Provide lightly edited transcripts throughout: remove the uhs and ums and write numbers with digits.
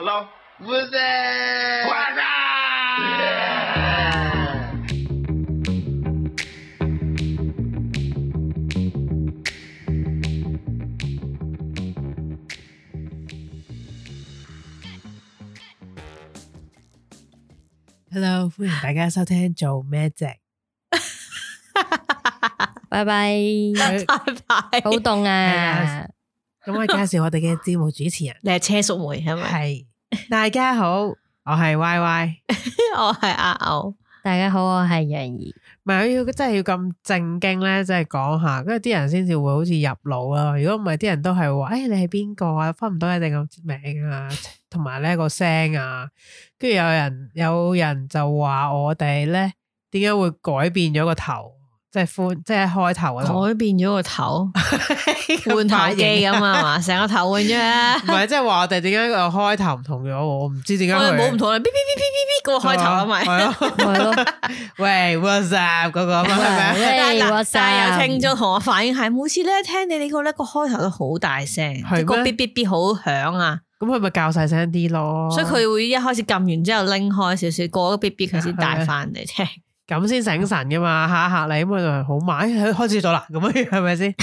Hello? What's that? What's Hello， 歡迎大家收聽做咩啫？拜拜，拜拜，好凍啊！咁我介紹我哋嘅節目主持人，你係車淑梅係咪？係大家好，我係 Y Y， 我係阿牛。大家好，我係楊怡。唔係要真係要咁正經咧，即係講下，跟住啲人先至會好似入腦啦。如果唔係，啲人都係話，你係邊個啊？分唔到你哋個名啊，同埋咧個聲啊。跟住有人就話我哋咧，點解會改變咗個頭？即係開頭嗰度改變咗個頭，換頭機咁啊嘛，成個頭換咗啊！唔係，即係話我哋點解個開頭唔同咗？我唔知點解我哋冇唔佢同啦，嗶嗶嗶嗶嗶個開頭啊咪，係咯，喂 ，what's up 嗰個啊嘛，係咪？喂，what's 但係有 up？聽眾同我反映係，每次咧聽你哋個咧個開頭都好大聲，係咩個嗶嗶嗶好響啊！咁佢咪較細聲啲咯？所以佢會一開始撳完之後拎開少少，過咗嗶嗶佢先帶翻嚟聽。咁先醒神噶嘛，嚇你咁佢就好慢，開始咗啦，咁樣係咪先？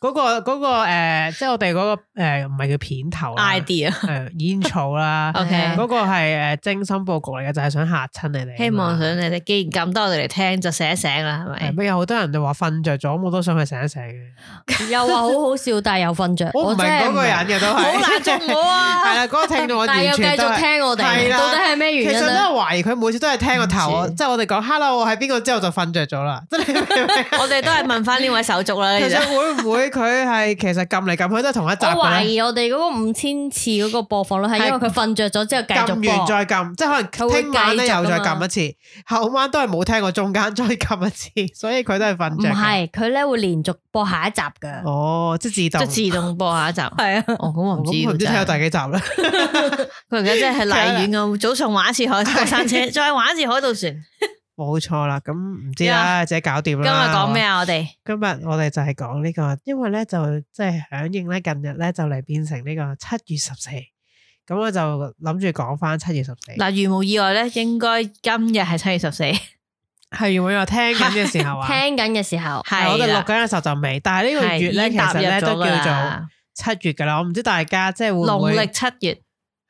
嗰個即係我哋嗰個唔係叫片頭啦 idea intro 啦 OK 嗰個係精心佈局嚟嘅，就係想嚇親你哋。希望想你哋既然撳得我哋嚟聽，就醒一醒啦，係咪？咩有好多人就話瞓着咗，我都想去醒一醒嘅。又話好好笑，但係又瞓着。我唔明嗰個人嘅都係好難捉我啊！係啦，嗰個聽眾我但係又繼完全都係續聽我哋，係啦到底係咩原因咧？其實都係懷疑佢每次都係聽個頭，唔知即係我哋講 hello 我係邊個之後就瞓着咗啦。即係你明唔明我哋都係問翻呢位手足啦。其實會唔會佢係其實撳嚟撳去都係同一集我懷嘅咧？疑我哋嗰個5000次嗰個播放率係因為佢瞓着咗之後繼續撳完播。再撳，即係可能聽晚咧又再撳一次，後晚都係冇聽過中間再撳一次，所以佢都係瞓唔着。係，佢咧會連續播下一集噶。哦，即係自動，即係自動播下一集。係啊，哦，咁我唔知喎。咁佢唔知睇到第幾集啦。佢而家真係荔園咁，早上玩一次海過山車，再玩一次海盜船。冇錯啦，咁唔知啦，自己搞掂今日啦。講咩啊？我哋今日我哋就係講呢個，因為咧就即係響應咧近日咧就嚟變成呢個7月14，咁我就諗住講翻7月14。嗱，如無意外咧，應該今日係7月14。係如果我聽緊嘅時候啊，聽緊嘅時候，係我哋錄緊嘅時候就未，但係呢個月咧其實咧都叫做7月噶啦。我唔知大家即係會唔會農曆7月，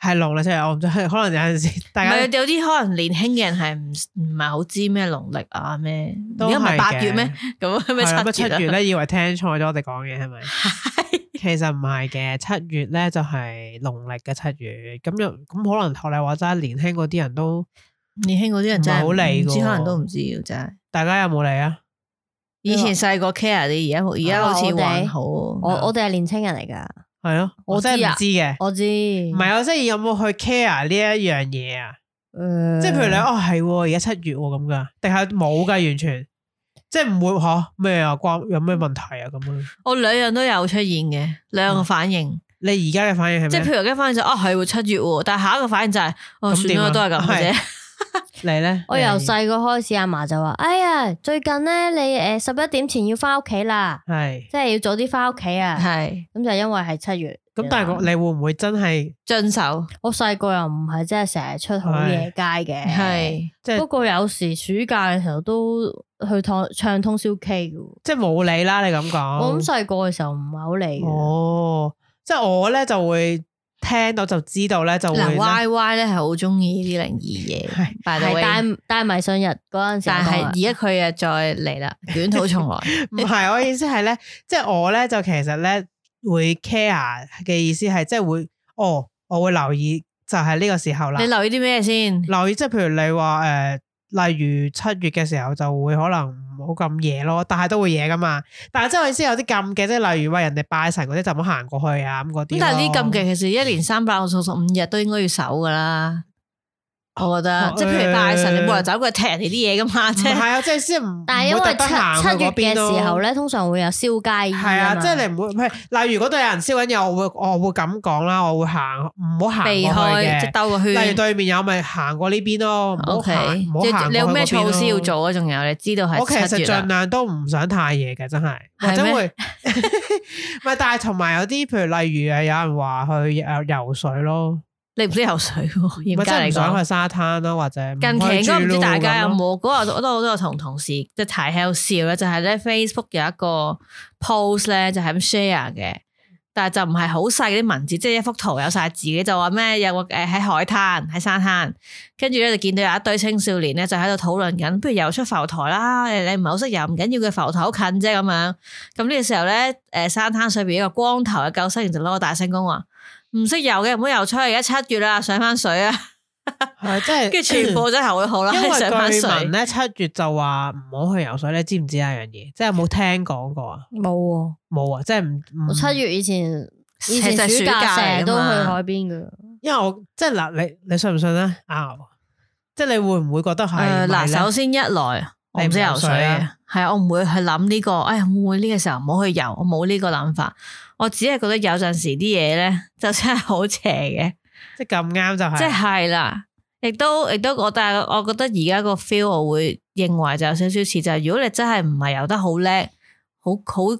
係農曆7月，我唔知可能有陣時大家唔係有啲可能年輕嘅人係唔係好知咩農曆啊咩？都而家唔係係8月咩？咁咩係啦7月7月咧以為聽錯咗我哋講嘢係咪？其實唔係嘅，7月咧就係農曆嘅7月，咁可能學你話齋年輕嗰啲人都年輕嗰啲人真係唔係好理㗎喎唔知可能都唔知嘅真係。大家有冇嚟啊？以前細個 care 啲，而家好似還好。我哋係年青人嚟噶，係咯，我真係唔知嘅。我知。唔係我即係有冇去 care 呢一樣嘢啊？誒，即係譬如你係而家7月咁噶，定係冇噶完全，即係唔會吓咩啊？關有咩問題啊？咁樣我兩樣都有出現嘅，兩個反應。你而家嘅反應係咩？即係譬如而家反應就係7月喎，但係下一個反應就係算啦，都係咁嘅啫。你咧？我由細個開始，阿嫲就話：哎呀，最近咧，你11點前要翻屋企啦，係即係要早啲翻屋企啊。係咁就因為係7月。咁，但係你會唔會真係遵守，我細個又唔係真係成日出好夜街嘅，係即係不過有時暑假嘅時候都去唱通宵 K 嘅。即係冇理啦？你咁講，我咁細個嘅時候唔係好理嘅。哦，即係我咧就會聽到就知道咧就會嗱呢 Y Y 咧係好中意呢啲靈異嘢，係帶迷信日嗰陣時，但係而家佢又再嚟啦，捲土重來。唔係我意思係咧，即係我咧就其實咧會 care 嘅意思係即係會我會留意就係呢個時候啦。你留意啲咩先？留意即係譬如你話例如7月嘅時候就會可能唔好咁夜咯，但係都會夜噶嘛。但係即係我意思有啲禁忌，即係例如話人哋拜神嗰啲就唔好行過去啊咁嗰啲。咁但係呢啲禁忌其實一年365日都應該要守噶啦。我覺得，即係譬如拜神，你冇人走過去踢人哋啲嘢噶嘛，即係。係啊，即係先唔。但係因為7月嘅時候咧，咧，通常會有燒街衣。係啊，即係你唔會，例如嗰度有人燒緊嘢，我會咁講啦，我會行，唔好行避開，即係兜個圈。例如對面有咪行過呢邊咯，唔好行，唔好行。你有咩措施要做啊？仲有你知道係7月。我其實盡量都唔想太夜嘅，真係，或者會。唔係，但係同埋有啲，譬如例如有人話去游水咯。你唔識游水喎，嚴格真係嚟講。唔想去沙灘咯，或者近期應該唔知大家有冇冇嗰日我都有同同事即係睇喺度笑咧，就係咧 Facebook 有一個 post 咧就係咁 share 嘅，但係就唔係好細啲文字，即係一幅圖有晒字嘅，就話咩有個喺海灘喺沙灘，跟住咧就見到有一堆青少年咧就喺度討論緊，不如游出浮台啦，你唔係好識游唔緊要嘅，浮台好近啫咁樣。咁呢個時候咧，沙灘上邊一個光頭嘅救生員就攞個大聲公話。唔識游嘅唔好游出去，而家7月啦，上翻水啊！係即係，跟住全部真係會好啦，因為上翻水。據聞咧7月就話唔好去游水，你知唔知一樣嘢？即係有冇聽講過啊？冇冇啊！即係唔我7月以前其實暑暑假假成日都去嚟㗎嘛海邊噶。因為我即係嗱，你信唔信咧？即係你會唔會覺得係嗱，首先一來我唔識游水嘅，係我唔會去諗呢個，哎呀會唔會呢個時候唔好去游？我冇呢個諗法，我只係覺得有陣時啲嘢咧就真係好邪嘅，即係咁啱就係，即係啦，亦都但係我覺得而家個 feel 我會認為就有少少似就係，如果你真係唔係游得好叻、好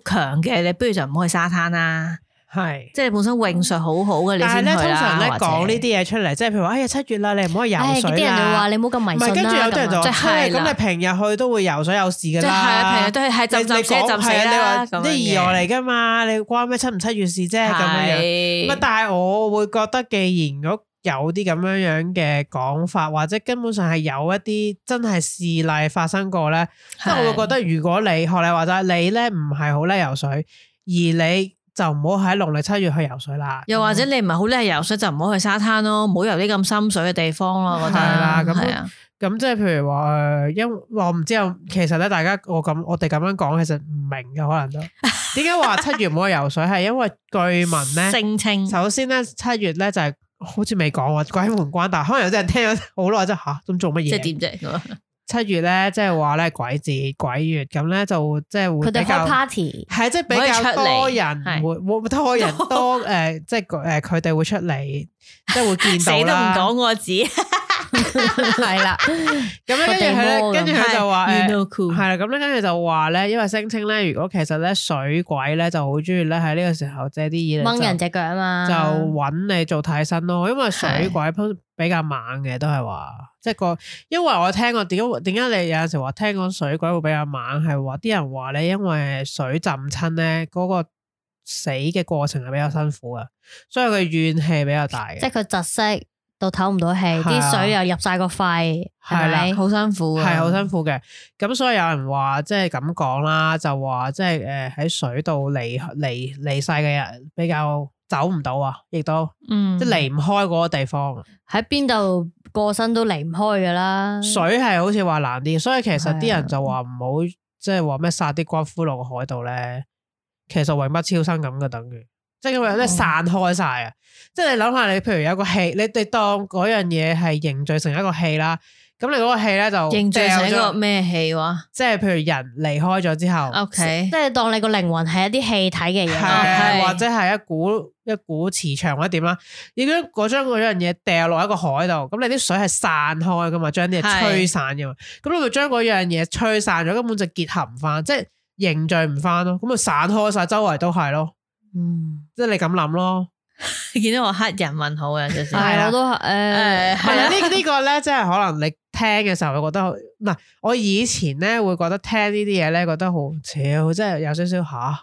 強嘅，你不如就唔好去沙灘啦。係，即係你本身泳術好好嘅，你先去啦。但係咧，通常咧或者講呢啲嘢出嚟，即係譬如話，哎呀7月啦，你唔可以游水啲人就話啦。你唔好咁迷唔係，跟信啦。住有啲人就話，咁啊係啦咁你平日去都會游水有事㗎即係啦。平日都係浸死浸死係啊你話啦，咁樣啲意外嚟㗎嘛？你關咩7唔7月事啫？咁樣樣。係但係我會覺得，既然如果有啲咁樣樣嘅講法，或者根本上係有一啲真係事例發生過咧，即係我會覺得，如果你學你話齋，你咧唔係好叻游水，而你就唔好喺農曆7月去游水啦。又或者你唔係好叻游水，就唔好去沙灘咯，唔好游啲咁深水嘅地方咯。我覺得係啦咁係啊，咁即係譬如話因為我唔知有，其實咧大家我哋咁樣講，其實唔明嘅可能都點解話7月唔好去游水，係因為據聞咧，聲稱首先咧7月咧就係好似未講喎，鬼門關，但係可能有啲人聽咗好耐，即係吓咁做乜嘢？即係點啫？ 7月咧，即係話咧鬼節鬼月咁咧，就即係會佢哋開比較 party，係即係比較多人會多人多即係佢哋會出嚟，即係會見死都唔到啦。講個字，係啦，咁咧跟住佢咧，跟住佢就話 You know cool 係啦，咁咧跟住就話咧，因為聲稱咧，如果其實咧水鬼咧就好中意咧喺呢個時候借啲嘢嚟掹人隻腳啊嘛，就揾你做替身咯，因為水鬼比較猛嘅，都係話即係因為我聽過點解你有陣時話聽講水鬼會比較猛，係話啲人話咧，因為水浸親咧嗰個死嘅過程係比較辛苦嘅，所以佢怨氣比較大嘅，即係佢窒息到唞唔到氣，係啊啲水又入晒個肺，係係啦咪？好辛苦啊，係好辛苦嘅。咁所以有人話即係咁講啦，就話即係喺水度離世嘅人比較走唔到啊，亦都即係離唔開嗰個地方。喺邊度過身都離唔開噶啦。水係好似話難啲，所以其實啲人就話唔好即係話咩撒啲骨灰落個海度咧，其實永不超生咁嘅，等於即係因為咧散開晒啊！即係你諗下，你譬如有個氣，你哋當嗰樣嘢係凝聚成一個氣啦，咁你嗰個氣咧就凝聚成一掉咗個咩氣話即係譬如人離開咗之後？OK，即係當你個靈魂係一啲氣體嘅嘢，係係或者係一股磁場或者點啦，已經將嗰樣嘢掉落一個海度，咁你啲水係散開噶嘛，將啲嘢吹散噶嘛，咁你咪將嗰樣嘢吹散咗，根本就結合唔翻，即係凝聚唔翻咯，咁咪散開晒，周圍都係咯，即係你咁諗咯。見到我黑人問好嘅，有時係我都係係啦，呢個咧，即係可能你聽嘅時候會覺得嗱，我以前咧會覺得聽呢啲嘢咧，覺得好超，即係有少少吓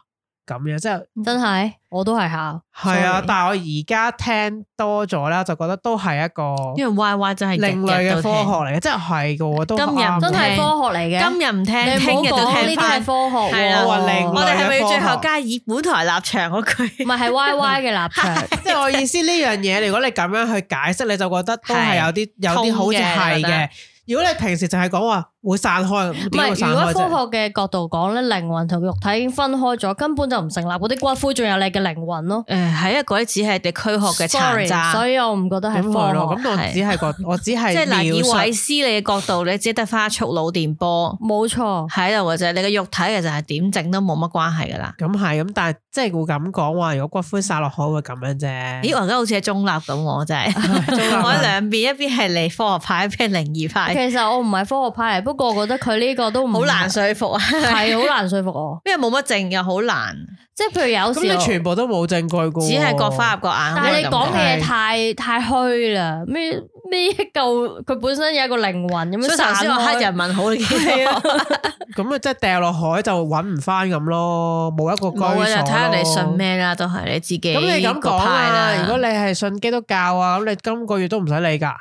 咁樣，即係真係我都係嚇。係啊 sorry，但係我而家聽多咗咧，就覺得都係一個因為 Y Y 真係另類嘅科學嚟嘅，即係係嘅，都今日啱真係科學嚟嘅。今日唔聽，你唔好聽日就講呢啲係聽翻。科學係啦喎，我話另我哋係咪要最後科學加以本台立場嗰句？唔係係 Y Y 嘅立場。即係我意思呢樣嘢，如果你咁樣去解釋，你就覺得都係有啲好似係通嘅嘅。如果你平時就係講話會散開，唔點會係，如果散開啫？科學嘅角度講咧，靈魂同肉體已經分開咗，根本就唔成立。嗰啲骨灰仲有你嘅靈魂咯。誒，係啊，嗰啲只係你軀殼嘅殘 Sorry，渣。所以我唔覺得係咁係咯，科學。咁我只係即係嗱，以描述韋斯你嘅角度，你只得翻一束腦電波冇錯，喺度嘅啫。你嘅肉體其實係點整都冇乜關係噶啦。咁係咁，但係即係會咁講話，如果骨灰撒落海會咁樣啫。咦，我而家好似係中立咁，我真係中立啊我喺兩邊，一邊係嚟科學派，一邊係靈異派。其實我唔係科學派嚟，不不過我覺得佢呢個都唔好難說服啊，係好難說服我，因為冇乜證又好難，即係譬如有時咁你全部都冇證據㗎，只係各花入各眼。但係你講嘅嘢係太虛啦，咩一嚿佢本身有一個靈魂咁樣，所以頭先話黑人問號，你見到咁啊，即係掉落海就揾唔翻咁咯，冇一個居所咯。冇啊，就睇下你信咩啦，都係你自己。咁你咁講啊？如果你係信基督教啊，咁你今個月都唔使理㗎。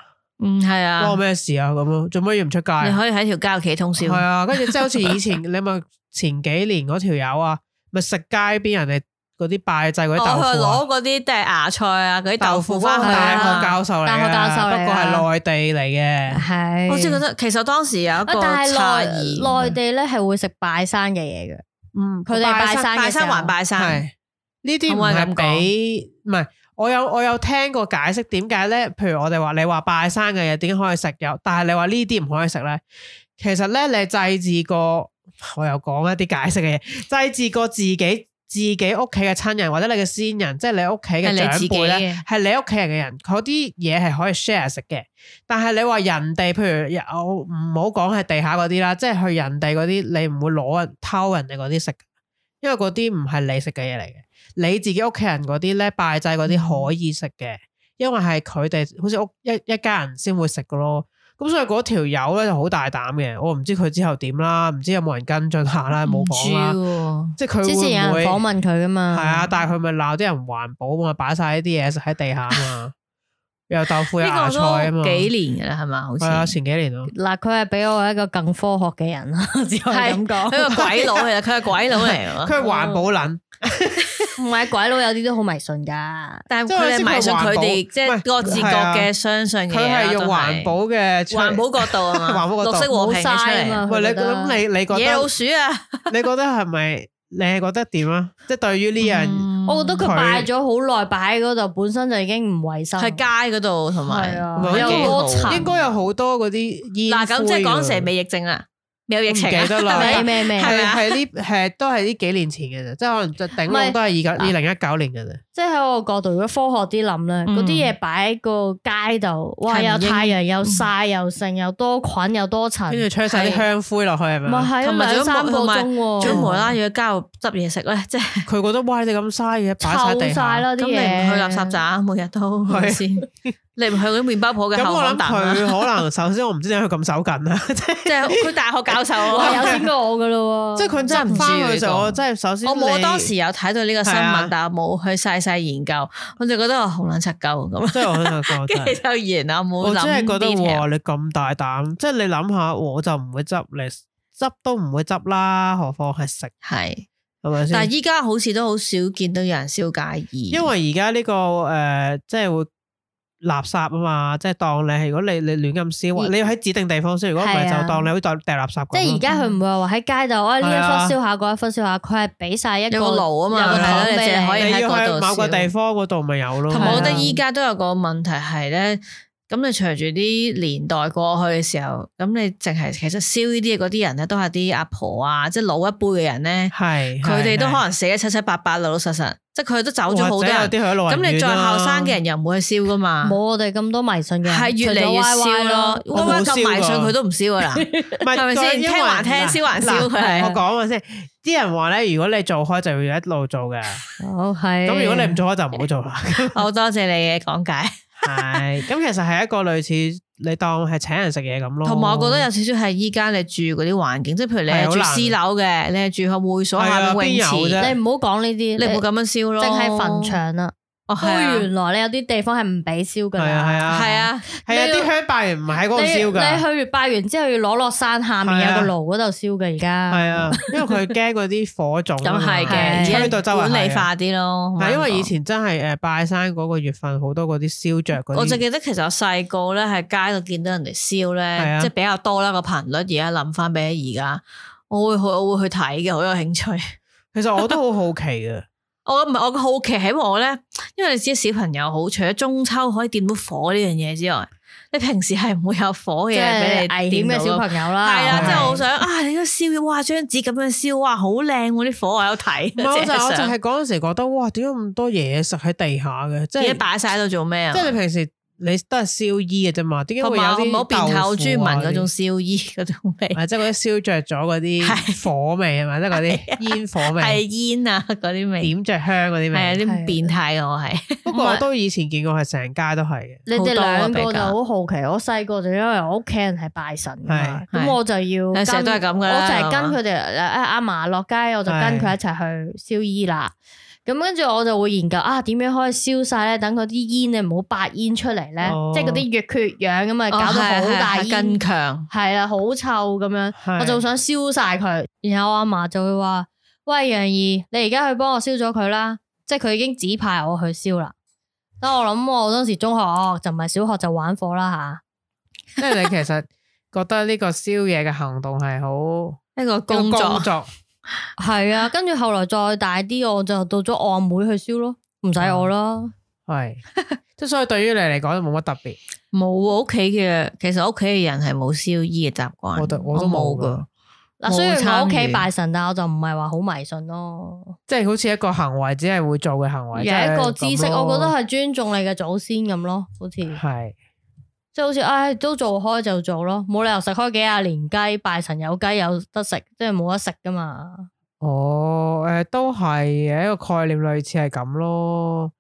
係啊，關我咩事啊？咁咯，做乜要唔出街？你可以喺條街度企通宵。係啊，跟住即係好似以前你咪前幾年嗰條友啊，咪食街邊人哋嗰啲拜祭嗰啲豆腐啊，攞嗰啲即係芽菜啊，嗰啲豆腐翻去大學教授嚟嘅，大學教授嚟㗎不過係內地嚟嘅。係。我先覺得其實當時有一個但係差異，內地咧係會食拜山嘅嘢嘅，嗯，佢哋拜山嘅時候拜山還拜山，係呢啲唔係俾唔係。我有聽過解釋點解咧？譬如我哋話你話拜山嘅嘢點解可以食有，但係你話呢啲唔可以食咧？其實咧你祭祀過，我又講一啲解釋嘅嘢，祭祀過自己屋企嘅親人或者你嘅先人，即係你屋企嘅長輩咧，係你屋企人嘅人，嗰啲嘢係可以 share 食嘅。但係你話人哋，譬如我唔好講係地下嗰啲啦，即係去人哋嗰啲，你唔會攞人偷人哋嗰啲食，因為嗰啲唔係你食嘅嘢嚟嘅。你自己屋企人嗰啲咧拜祭嗰啲可以食嘅，因為係佢哋好似一家人先會食嘅咯。咁所以嗰條友咧就好大膽嘅，我唔知佢之後點啦，唔知有冇人跟進下啦，冇講啦。即係佢之前有人訪問佢噶嘛？係啊，但係佢咪鬧啲人環保嘛，擺晒呢啲嘢食喺地下嘛，有豆腐有芽菜啊嘛。幾年噶啦係嘛？好似係啊，前幾年咯。嗱，佢係比我一個更科學嘅人啦，只可以咁講。佢個鬼佬嚟，佢係鬼佬嚟喎。佢係環保撚。唔係鬼佬有啲都好迷信噶，但係佢哋迷信佢哋即係各自各嘅相信嘅嘢。佢係用環保嘅環保角度啊嘛，綠色和平出嚟。喂，你咁你覺得野老鼠啊？你覺得係咪？你係覺得點啊？即係對於呢樣，我覺得佢擺咗好耐，擺喺嗰度本身就已經唔衛生。喺街嗰度同埋有好多層，應該有好多嗰啲煙。嗱咁即係講成未疫症啦。有疫情記得啦，係都係呢幾年前嘅啫，即係可能就頂籠都係2019年嘅啫。即係喺我角度，如果科學啲諗咧，嗰啲嘢擺喺個街度，哇！有太陽，又曬，又剩，又多菌，又多塵，跟住吹晒啲香灰落去係咪？唔係同埋2-3個鐘，仲無啦啦要喺街度執嘢食咧，即係佢覺得哇！你咁嘥嘅擺晒地下，咁你唔去垃圾站，每日都係先。你唔去嗰啲麵包鋪嘅後巷等啊？佢可能首先我唔知點解佢咁手緊啦，即係佢大學教授有錢過我噶咯，即係佢真係唔知嘅時候，我真係首先我冇當時有睇到呢個新聞，但係冇去細研究，我就覺得我好撚柒鳩咁。即係我喺度講，跟住就完啦，冇諗。我真係覺得你咁大膽，即係你諗下，我就唔會執，你執都唔會執啦，何況係食係咪先？但係依家好似都好少見到有人燒街衣，因為而家呢個即係會。垃圾啊嘛，即係當你係如果你亂咁燒，你要喺指定地方燒，如果唔係就當你好似掉垃圾咁。即係而家佢唔會話喺街度，呢一忽燒下，嗰一忽燒下，佢係俾晒一個爐啊嘛，有個桶俾你，可以喺嗰度燒。某個地方嗰度咪有咯。同埋我覺得依家都有個問題係咧。咁你隨住啲年代過去嘅時候，咁你淨係其實燒呢啲嘢嗰啲人咧，都係啲阿婆啊，即係老一輩嘅人咧，佢哋都可能死得七七八八老老實實，即係佢都走咗好多人。咁你再後生嘅人又唔會去燒噶嘛？冇我哋咁多迷信嘅人，係越嚟越燒咯。歪歪咁迷信佢都唔燒噶啦，係咪先？聽還聽，燒還燒。佢係我講下先，啲人話咧，如果你做開就要一路做嘅。好係。咁如果你唔做開就唔好做啦。好多謝你嘅講解。係，咁其實係一個類似你當係請人食嘢咁咯。同埋我覺得有少少係依家你住嗰啲環境，即係譬如你係住私樓嘅，你係住喺會所下面泳池，你唔好講呢啲，你唔好咁樣燒咯，淨係墳場啦。原來你有啲地方係唔俾燒噶，係啊，啲香拜完唔係喺嗰度燒噶。你去完拜完之後要攞落山下面有個爐嗰度燒嘅而家。係啊，因為佢驚嗰啲火種。咁係嘅，吹到周圍。管理化啲咯。係因為以前真係拜山嗰個月份好多嗰啲燒着嗰啲。我就記得其實我細個咧喺街度見到人哋燒咧，即係比較多啦個頻率。而家諗翻比起而家，我會去睇嘅，好有興趣。其實我都好好奇嘅。我唔係我嘅好奇喺我咧，因為你知小朋友好，除咗中秋可以掂到火呢樣嘢之外，你平時係唔會有火嘅俾你危險嘅小朋友啦。係啦，即係我想你都燒，哇張紙咁樣燒，哇好靚喎啲火，我有睇。我就係嗰陣時覺得，哇點解咁多嘢食喺地下嘅？即係擺晒喺度做咩啊？即係你平時你都係燒衣嘅啫嘛，點解同埋我會有啲冇變態，我中意聞嗰種燒？燒衣嗰種味，即係嗰啲燒着咗嗰啲火味係咪？即係嗰啲煙火味，係煙啊嗰啲味，點着香嗰啲味，係啊啲變態嘅我係。不過我都以前見過係成街都係嘅。你哋兩個就好多啊比較好好奇，我細個就因為我屋企人係拜神㗎嘛，係咁我就要跟成日都係咁㗎啦我就係跟佢哋阿嫲落街，我就跟佢一齊去燒衣啦。咁跟住我就會研究點樣可以燒晒咧，等嗰啲煙咧唔好白煙出嚟咧，即係嗰啲越缺氧咁啊，搞到好大煙，更強。係啦，好臭咁樣，係我就想燒晒佢。然後我阿嫲就會話：喂，楊怡，你而家去幫我燒咗佢啦，即係佢已經指派我去燒啦。但我諗我當時中學就唔係小學就玩火啦吓。即係你其實覺得呢個燒嘢嘅行動係好一個工作，係啊，跟住後來再大啲，我就到咗我阿妹去燒咯，唔使我啦。係，即係所以對於你嚟講都冇乜特別。冇屋企嘅，其實屋企嘅人係冇燒衣嘅習慣，我都冇噶。嗱，雖然我屋企冇參與拜神，但我就唔係話好迷信咯。即係好似一個行為，只係會做嘅行為，有一個知識，即係咁咯我覺得係尊重你嘅祖先咁咯，好似係。即係好似都做開就做咯，冇理由食開幾廿年雞，拜神有雞有得食，即係冇得食噶嘛。哦，都係嘅一個概念，類似係咁咯。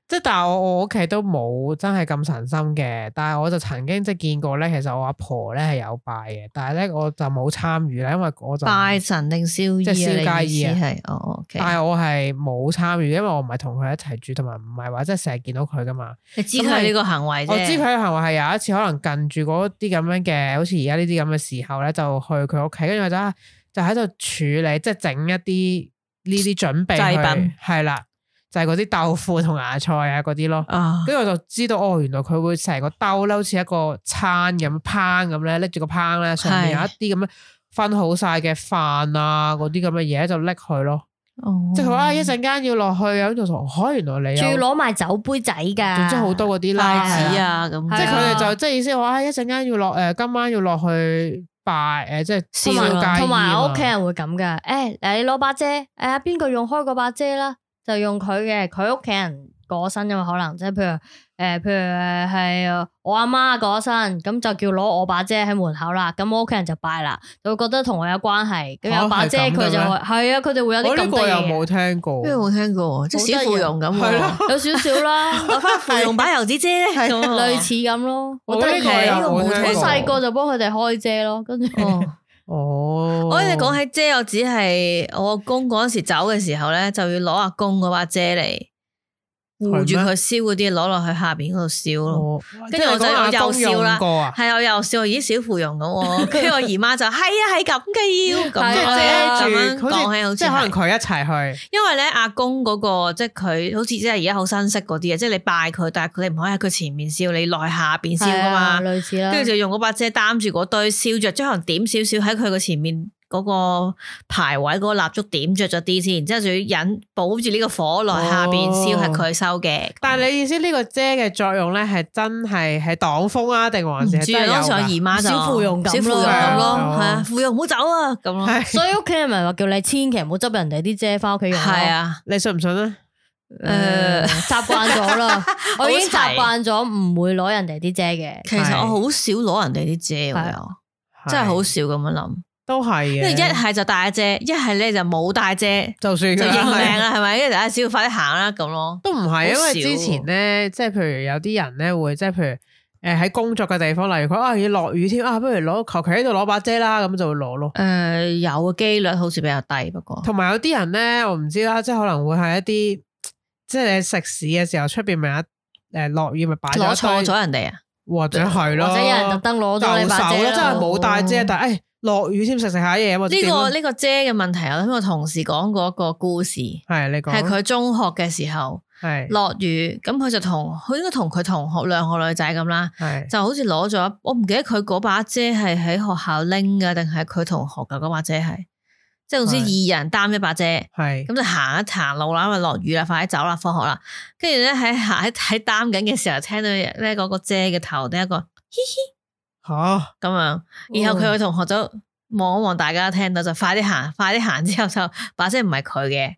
即係但係我屋企都冇真係咁神心嘅，但係我就曾經即係見過咧，其實我阿婆咧係有拜嘅，但係咧我就冇參與啦，因為我就拜神定燒衣即係燒街衣啊係OK。但係我係冇參與，因為我唔係同佢一齊住，同埋唔係話即係成日見到佢噶嘛。你知佢呢個行為啫，我知佢嘅行為係有一次可能近住嗰啲咁樣嘅，好似而家呢啲咁嘅時候咧，就去佢屋企，跟住或者就喺度處理，即係整一啲呢啲準備祭品，係啦，就係嗰啲豆腐同芽菜啊嗰啲咯。啊，跟住我就知道原來佢會成個兜咧，好似一個餐咁烹咁咧，拎住個烹咧，上面有一啲咁樣分好晒嘅飯啊，嗰啲咁嘅嘢就拎去咯。即係佢話一陣間要落去啊，咁就原來你仲要攞埋酒杯仔噶，總之好多嗰啲啦，筷子啊咁，即係佢哋就即係意思話一陣間要落今晚要落去拜即係燒街衣同埋我屋企人會咁噶，你攞把遮，邊個用開嗰把遮啦，就用佢嘅，佢屋企人過身噶嘛，可能即係譬如係我阿媽過身，咁就叫攞我把遮喺門口啦，咁我屋企人就拜啦，就會覺得同我有關係，咁有把遮佢就會係啊，佢哋會有啲咁嘅嘢。我呢個又冇聽過，邊個冇聽過？即係小芙蓉咁，係咯，有少少啦，攞翻芙蓉把油紙遮咧，類似咁咯。我呢個又冇聽過，好細個就幫佢哋開遮咯，跟住哦，我哋講起遮，我只係我阿公嗰陣時走嘅時候咧，就要攞阿公嗰把遮嚟護住佢燒嗰啲，攞落去下邊嗰度燒咯。跟住我就又燒啦，係我又燒，咦小芙蓉咁，跟住我姨媽就係係咁嘅要，咁樣講起好似即係可能佢一齊去，因為咧阿公嗰個即係佢好似即係而家好新式嗰啲啊，即係你拜佢，但係佢哋唔可以喺佢前面燒，你落去下邊燒噶嘛，類似啦。跟住就用嗰把遮擔住嗰堆燒着，即係可能點少少喺佢個前面。嗰個牌位嗰個蠟燭點着咗啲先，然之後仲要引保住呢個火落下邊燒，係佢收嘅。但係你意思呢個遮嘅作用咧，係真係擋風啊，定還是係真係有？當時我姨媽就小芙蓉咁咯，係啊，芙蓉唔好走啊，咁咯。所以屋企人咪話叫你千祈唔好執人哋啲遮翻屋企用。係啊，你信唔信啊？習慣咗啦，我已經習慣咗唔會攞人哋啲遮嘅。其實我好少攞人哋啲遮，我又真係好少咁樣諗。都係嘅，因為一係就帶遮，一係咧就冇帶遮，就算就認命啦，係咪？跟住大家只要快啲行啦，咁咯。都唔係，因為之前咧，即係譬如有啲人咧會，即係譬如喺工作嘅地方，例如佢要落雨添不如攞求其喺度攞把遮啦，咁就會攞咯。有嘅機率好似比較低，不過同埋有啲人咧，我唔知啦，即係可能會係一啲，即係你食肆嘅時候，出邊咪有落雨咪擺攞錯咗人哋啊，或者係咯，或者有人特登攞咗你把遮真係冇帶遮，但係落雨添食下嘢啊嘛！呢個遮嘅問題，我聽我同事講過一個故事，係你講，係佢中學嘅時候，係落雨，咁佢就佢應該同佢同學兩個女仔咁啦，就好似攞咗，我唔記得佢嗰把遮係喺學校拎噶，定係佢同學噶嗰把遮係，即係好似二人擔一把遮，係咁就行一行路啦，因為落雨啦，快啲走啦，放學啦，跟住咧喺擔緊嘅時候，聽到咧嗰個遮嘅頭頂一個嘻嘻。吓咁樣，然後佢個同學就望一望大家聽到就快啲行之後就把遮唔係佢嘅，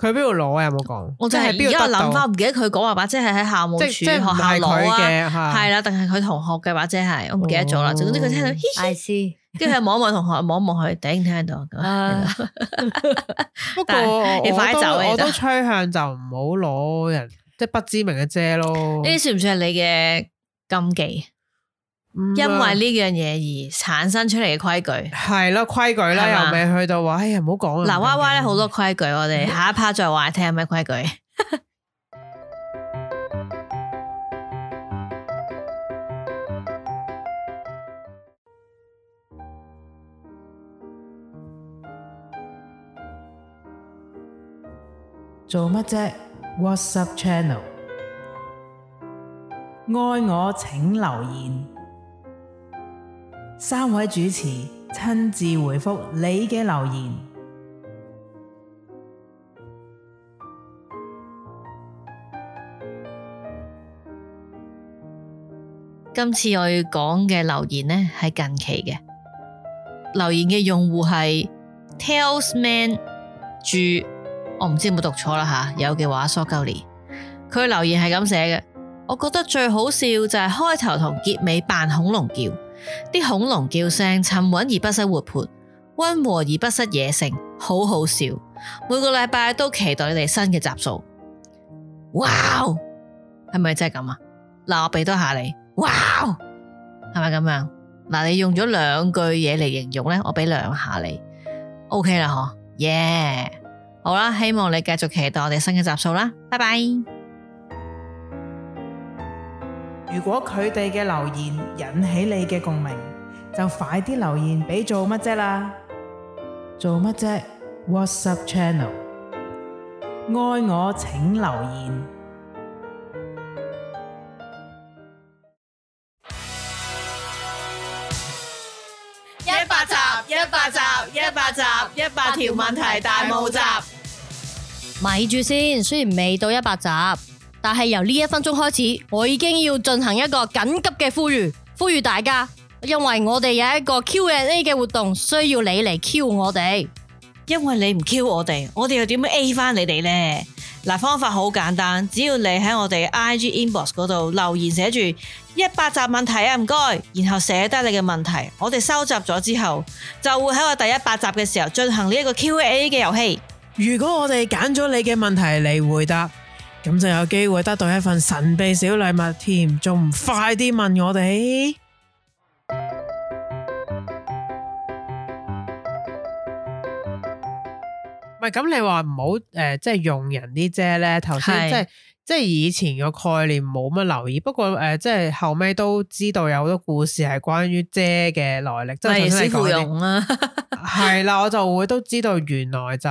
佢邊度攞啊？有冇講？我真係而家諗翻，唔記得佢講話把遮係喺校務處學校攞啊，係啦，定係佢同學嘅把遮係，我唔記得咗啦。總之佢聽到，I see，跟住佢望一望同學，望一望佢，頂聽到。不過我都趨向就唔好攞人即係不知名嘅遮咯。呢啲算唔算係你嘅禁忌？因為呢樣嘢而產生出嚟嘅規矩係咯，規矩啦，又未去到話，哎呀唔好講啦。嗱，Y Y 咧好多規矩，我哋下一 part 再話你聽有咩規矩。做乜啫 ？WhatsApp channel， 愛我請留言。3位主持親自回覆你嘅留言。今次我要講嘅留言呢係近期嘅留言嘅用戶係 Talesman 注，我唔知有冇讀錯啦吓，有嘅話 sorry。佢留言係咁寫嘅，我覺得最好笑就係開頭同結尾扮恐龍叫。啲恐龍叫聲沉穩而不失活潑，溫和而不失野性，好好笑。每個禮拜都期待你哋新嘅集數。哇，係咪真係咁啊？嗱，我俾多下你。哇，係咪咁樣？嗱，你用咗2句嘢嚟形容呢，我俾2下你。OK 啦，嗬，耶！好啦，希望你繼續期待我哋新嘅集數啦。拜拜。如果佢哋嘅留言引起你嘅共鳴，就快啲留言俾做乜啫啦！做乜啫 ？WhatsApp channel， 愛我請留言。100集，100集，100集，100條問題大募集。咪住先，雖然未到100集。但係由呢1分鐘開始，我已經要進行一個緊急嘅呼籲大家，因為我哋有一個 Q&A 嘅活動，需要你嚟 Q 我哋。因為你唔 Q 我哋又點樣 A 翻你哋呢？嗱，方法好簡單，只要你喺我哋 IG inbox 嗰度留言寫住100集問題啊，唔該，然後寫低你嘅問題，我哋收集咗之後，就會喺我第100集嘅時候進行呢一個 Q&A 嘅遊戲。如果我哋揀咗你嘅問題嚟回答，咁就有機會得到一份神秘小禮物添，仲唔快啲問我哋？唔係咁，你話唔好即係用人啲遮咧。頭先即係以前個概念冇乜留意，不過即係後尾都知道有好多故事係關於遮嘅來歷，即係師傅用啦。係啦，我就會都知道原來就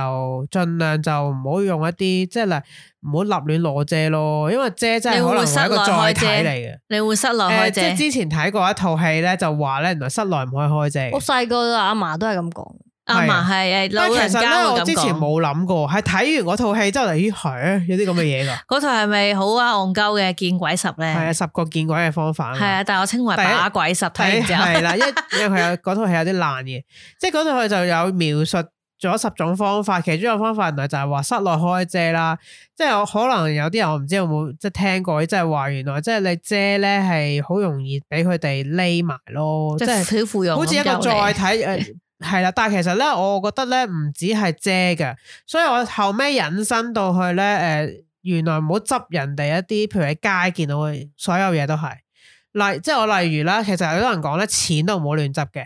盡量就唔好用一啲即係唔好立亂攞遮咯，因為遮真係可能係一個載體嚟嘅。你會室內開遮？即係之前睇過一套戲咧，就話咧原來室內唔可以開遮。我細個阿嫲都係咁講。阿嫲係老人家會咁講。但其實咧，我之前冇諗過，係睇完嗰套戲之後嚟，咦係有啲咁嘅嘢噶。嗰套係咪好啊戇鳩嘅見鬼10咧？係啊，10個見鬼嘅方法。係啊，但係我稱為把鬼10睇完之後。係啦，因為佢有嗰套戲有啲爛嘅，即係嗰套佢就有描述咗10種方法，其中一個方法原來就係話室內開遮啦。即係可能有啲人我唔知有冇即係聽過，即係話原來即係你遮咧係好容易俾佢哋匿埋咯，即係小芙蓉好似一個載體係啦，但係其實咧，我覺得咧唔止係遮嘅，所以我後尾引申到去咧，原來唔好執人哋一啲，譬如喺街見到嘅所有嘢都係，即係我例如啦，其實有啲人講咧，錢都唔好亂執嘅，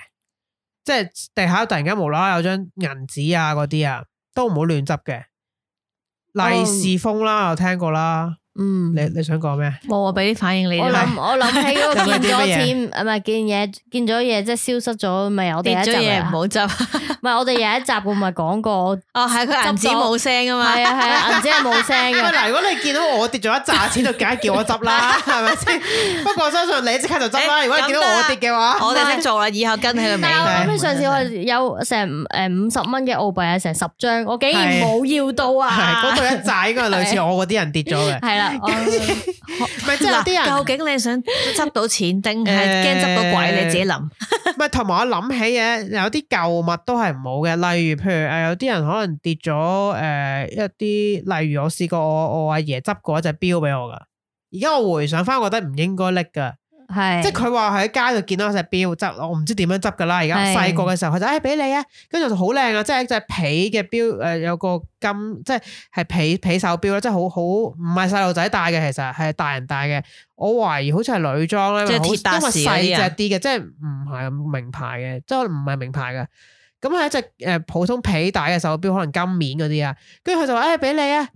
即係地下突然間無啦啦有張銀紙啊嗰啲啊，都唔好亂執嘅，利是封啦，我聽過啦。你想講咩？冇啊，俾啲反應你。我諗起嗰個見咗錢，唔係見咗嘢，即係消失咗，咪我哋有一集嘢唔好執。唔係我哋有一集我咪講過，哦係佢銀紙冇聲啊嘛，係啊銀紙係冇聲嘅。嗱，如果你見到我跌咗一紮錢，就梗係叫我執啦，係咪先？不過我相信你即刻就執啦。如果你見到我跌嘅話，我哋識做啦，以後跟喺個尾。但係上次我有成50蚊嘅澳幣啊，成10張，我竟然冇要到啊！嗰度一紮應該係類似我嗰啲人跌咗嘅。係啦。啊，唔係即係有啲人究竟你想執到錢定係驚執到鬼？你自己諗。唔係，同埋我諗起嘅有啲舊物都係唔好嘅，例如譬如有啲人可能跌咗一啲，例如我試過我阿爺執過一隻錶俾我噶，而家我回想翻，我覺得唔應該拎噶。係即係佢話喺街度見到隻錶執，我唔知點樣執噶啦。而家細個嘅時候，佢就俾你啊，跟住就好靚啊，即係一隻皮嘅錶，有個金，即係皮手錶啦，即係好唔係細路仔戴嘅，其實係大人戴嘅。我懷疑好似係女裝咧，即係鐵達時因為細隻啲嘅，即係唔係名牌嘅，即係唔係名牌嘅。咁係一隻普通皮帶嘅手錶，可能金面嗰啲啊。跟住佢就話俾你啊，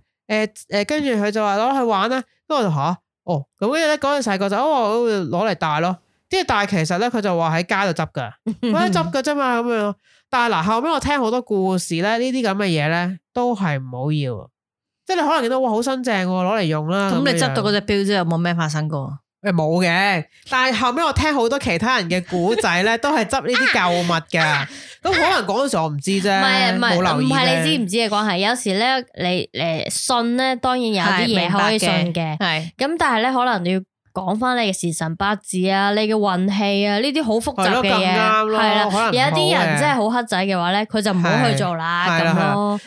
跟住佢就話攞去玩啦。跟住我就吓。哦，咁跟住咧嗰陣細個就攞嚟戴咯，即係但係其實咧佢就話喺街度執噶，佢執噶啫嘛咁樣。但係嗱後尾我聽好多故事咧，呢啲咁嘅嘢咧都係唔好要，即係你可能見到哇好新淨攞嚟用啦。咁你執到嗰隻錶之後有冇咩發生過？冇嘅，但係後尾我聽好多其他人嘅古仔咧，都係執呢啲舊物噶。咁可能嗰陣時我唔知啫，冇留意。唔係你知唔知嘅關係？有時咧，你信咧，當然有啲嘢可以信嘅。係咁，但係咧，可能你要講翻你嘅時辰八字啊，你嘅運氣啊，呢啲好複雜嘅嘢。係啦，有一啲人真係好黑仔嘅話咧，佢就唔好去做啦咁咯。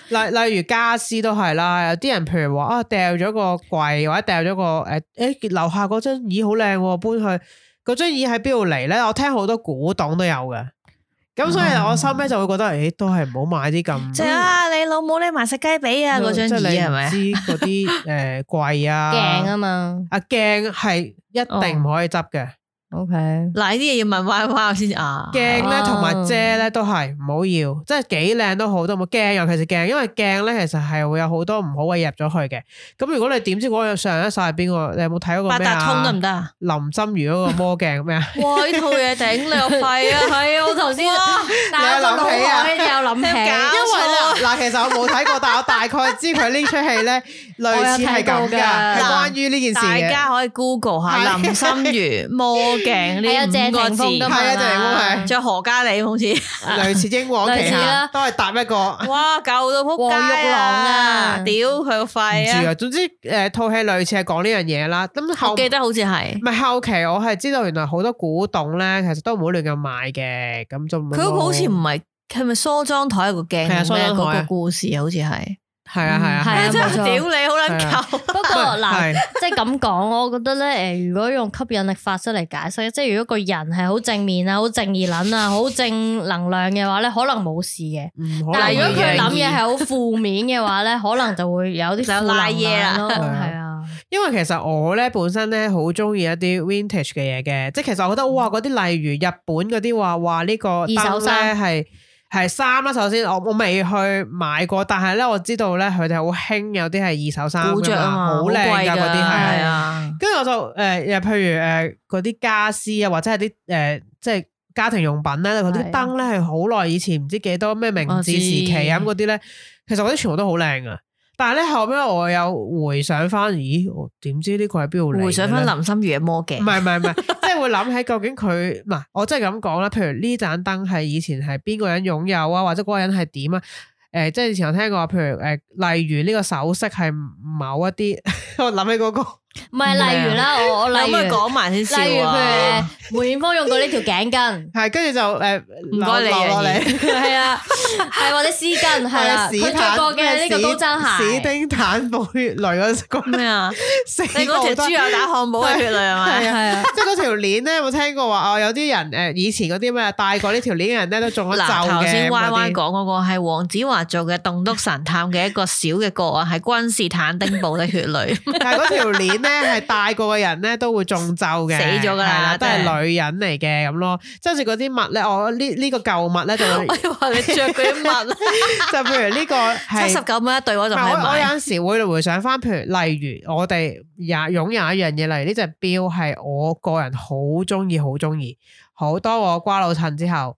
例如家私都係啦，有啲人譬如話啊，掉咗個櫃或者掉咗個樓下嗰張椅好靚，搬去嗰張椅喺邊度嚟咧？我聽好多古董都有嘅。咁所以我收尾就會覺得，都係唔好買啲咁。即係你老母你埋食雞髀啊！嗰張椅係咪？知嗰啲櫃啊，鏡啊嘛，鏡係一定唔可以執嘅。OK，嗱呢啲嘢要問 Y Y 先啊。鏡咧同埋遮咧都係唔好要，即係幾靚都好都冇鏡，尤其是鏡，因為鏡咧其實係會有好多唔好嘅入咗去嘅。咁如果你點知嗰個上一晒係邊個？你有冇睇嗰個咩啊？八達通得唔得啊？林心如嗰個魔鏡咩啊？哇！呢套嘢頂你個肺啊！係啊，我頭先但係我腦海有諗起，因為嗱，其實我冇睇過，但係我大概知佢呢出戲咧類似係咁噶，係關於呢件事嘅。大家可以 Google 下林心如魔鏡呢5個字，係啊，謝霆鋒係，仲有何嘉莉好似類似英皇旗下，都係搭一個。哇，舊到撲街啊！屌佢個肺啊！唔知啊，總之套戲類似係講呢樣嘢啦。咁我記得好似係，唔係後期我係知道原來好多古董咧，其實都唔好亂咁買嘅。咁就佢嗰個好似唔係咪梳妝台有個鏡咩？嗰個故事好似係。係啊，真係屌你好撚舊。不過嗱，即係咁講，我覺得咧，如果用吸引力法則嚟解釋，即係如果個人係好正面啊、好正義撚啊、好正能量嘅話咧，可能冇事嘅。但係如果佢諗嘢係好負面嘅話咧，可能就會有啲負能量咯。係啊，因為其實我咧本身咧好中意一啲 vintage 嘅嘢嘅，即係其實我覺得哇，嗰啲例如日本嗰啲話呢個二手衫係衫啦，首先我未去買過，但係咧我知道咧佢哋好興有啲係二手衫㗎嘛，好靚㗎嗰啲係啊。跟住我就又譬如嗰啲家私啊，或者係啲即係家庭用品咧，嗰啲燈咧係好耐以前唔知幾多咩明治時期咁嗰啲咧，其實嗰啲全部都好靚啊。但係咧後尾我有回想翻，咦？我點知呢個係邊度嚟？回想翻林心如嘅魔鏡，唔係，即係會諗起究竟佢嗱，我真係咁講啦。譬如呢盞燈係以前係邊個人擁有啊，或者嗰個人係點啊？即係以前我聽過，譬如例如呢個首飾係某一啲，我諗起嗰個。唔係，例如啦，我例如講埋先笑啊。例如譬如梅艷芳用過呢條頸巾，係跟住就唔該你落嚟，係啊，係或者絲巾，係啦，佢着過嘅呢個高踭鞋，史丁坦堡血淚嗰個咩啊？你嗰條豬油打漢堡嘅血淚係咪？係啊，即係嗰條鏈咧，有冇聽過話？有啲人以前嗰啲咩戴過呢條鏈嘅人咧，都中咗咒嘅。頭先 Y Y 講嗰個係黃子華做嘅棟篤神探嘅一個小嘅個案，係君士坦丁堡的血淚。但係嗰條鏈咧係戴過嘅人咧都會中咒嘅，死咗噶啦，都係女人嚟嘅咁咯。即係好似嗰啲襪咧，我呢個舊襪咧就會，我以為你着嗰啲襪，就譬如呢個係79蚊一對，我就買。我有陣時會回想翻，譬如例如我哋擁有一樣嘢，例如呢隻錶係我個人好中意，好多我瓜老襯之後，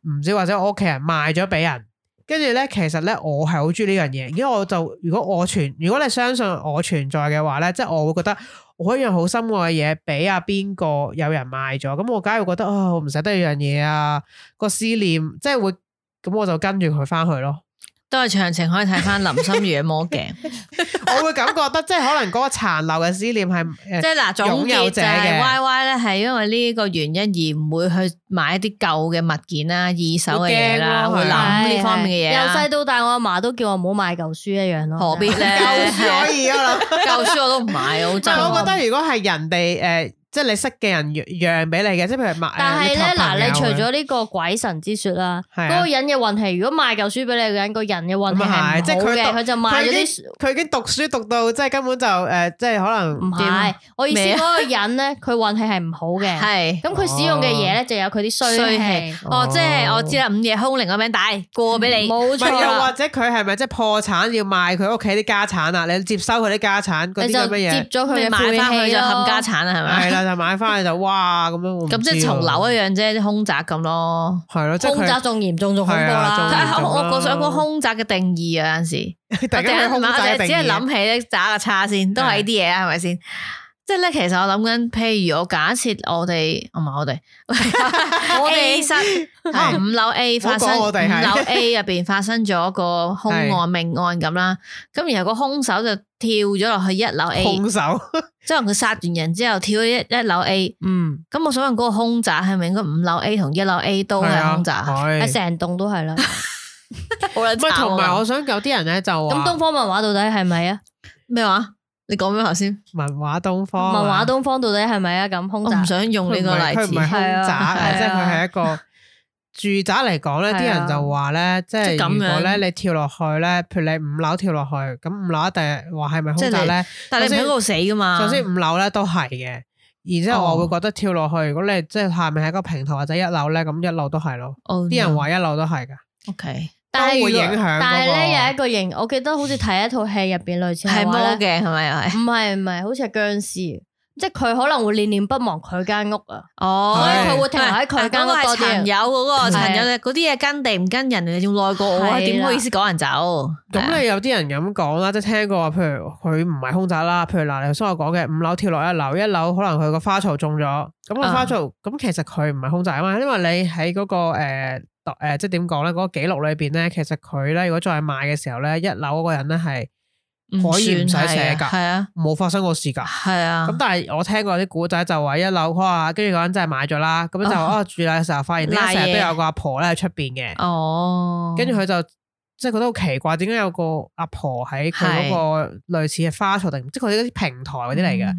唔知或者我屋企人賣咗俾人。跟住咧，其實咧我係好中意呢樣嘢，因為我就如果你相信我存在嘅話咧，即係我會覺得我一樣好心愛嘅嘢俾阿邊個有人賣咗，咁我梗係會覺得我唔捨得呢樣嘢啊，個思念即係會，咁我就跟住佢翻去咯。都係詳情可以睇翻林心如嘅魔鏡。我會感覺得即係可能嗰個殘留嘅思念係即係嗱，總結就係 Y Y 咧，係因為呢個原因而唔會去買一啲舊嘅物件啦、二手嘅嘢啦，會諗呢方面嘅嘢。由細到大，我阿嫲都叫我唔好買舊書一樣咯。何必咧？舊書可以啊，舊書我都唔買，好憎。我覺得如果係人哋即係你識嘅人讓俾你嘅，即係譬如買。但係咧嗱，你除咗呢個鬼神之說啦，嗰個人嘅運氣，如果賣舊書俾你嘅人，個人嘅運氣係唔好嘅，佢就賣咗啲。佢已經讀書讀到即係根本就即係可能唔係。我意思嗰個人咧，佢運氣係唔好嘅。係。咁佢使用嘅嘢咧，就有佢啲衰氣。哦，即係我知啦，午夜凶鈴個名大過俾你。冇錯。又或者佢係咪即係破產要賣佢屋企啲家產啊？你接收佢啲家產嗰啲咁嘅嘢，接咗佢嘅買翻去就冚家產啦，係咪？係啦，就買翻去就哇咁樣。咁即係重樓一樣啫，啲凶宅咁咯。係咯，凶宅仲嚴重仲恐怖啦。我想講凶宅嘅定義啊，有陣時我只係諗起咧渣個叉先，都係呢啲嘢啊，係咪先？即係咧，其實我諗緊，譬如我假設我哋 A 室5樓 A 發生5樓 A 入邊發生咗個凶案命案咁啦，咁然後個凶手就跳咗落去1樓 A， 凶手即係佢殺完人之後跳咗一樓 A， 咁我想問嗰個凶宅係咪應該5樓 A 同1樓 A 都係凶宅？係成棟都係啦。好撚慘。同埋我想有啲人咧就話，咁東方文華到底係咪啊？咩話？你講咩頭先？文華東方，文華東方到底係咪啊？咁凶宅，我唔想用呢個例子，佢唔係凶宅，即係佢係一個住宅嚟講咧。啲人就話咧，即係如果咧你跳落去咧，譬如你5樓跳落去，咁5樓一定話係咪凶宅咧？但係你唔喺嗰度死噶嘛？首先5樓咧都係嘅，然之後我會覺得跳落去，如果你即係下面係一個平台或者1樓咧，咁1樓都係咯。啲人話1樓都係噶。OK。都會影響，但係咧有一個型，我記得好似睇一套戲入邊類似係魔嘅，係咪又係？唔係，好似係僵屍，即係佢可能會念念不忘佢間屋啊。哦，所以佢會停留喺佢間屋多啲。陳友嗰個陳友嗰啲嘢跟地唔跟人，你仲耐過我，點好意思趕人走？咁你有啲人咁講啦，即係聽過話，譬如佢唔係凶宅啦，譬如嗱，你頭先我講嘅5樓跳落1樓，1樓可能佢個花槽中咗，咁個花槽咁其實佢唔係凶宅啊嘛，因為你喺嗰個即係點講咧？嗰個記錄裏邊咧，其實佢咧如果再賣嘅時候咧，1樓嗰個人咧係可以唔使寫噶，係啊，冇發生過事噶，係啊。咁但係我聽過啲古仔就話1樓哇，跟住嗰人真係買咗啦，咁就住嘅時候發現點解成日都有個阿婆咧喺出邊嘅，哦，跟住佢就即係覺得好奇怪，點解有個阿婆喺佢嗰個類似嘅花槽定即係佢啲平台嗰啲嚟嘅。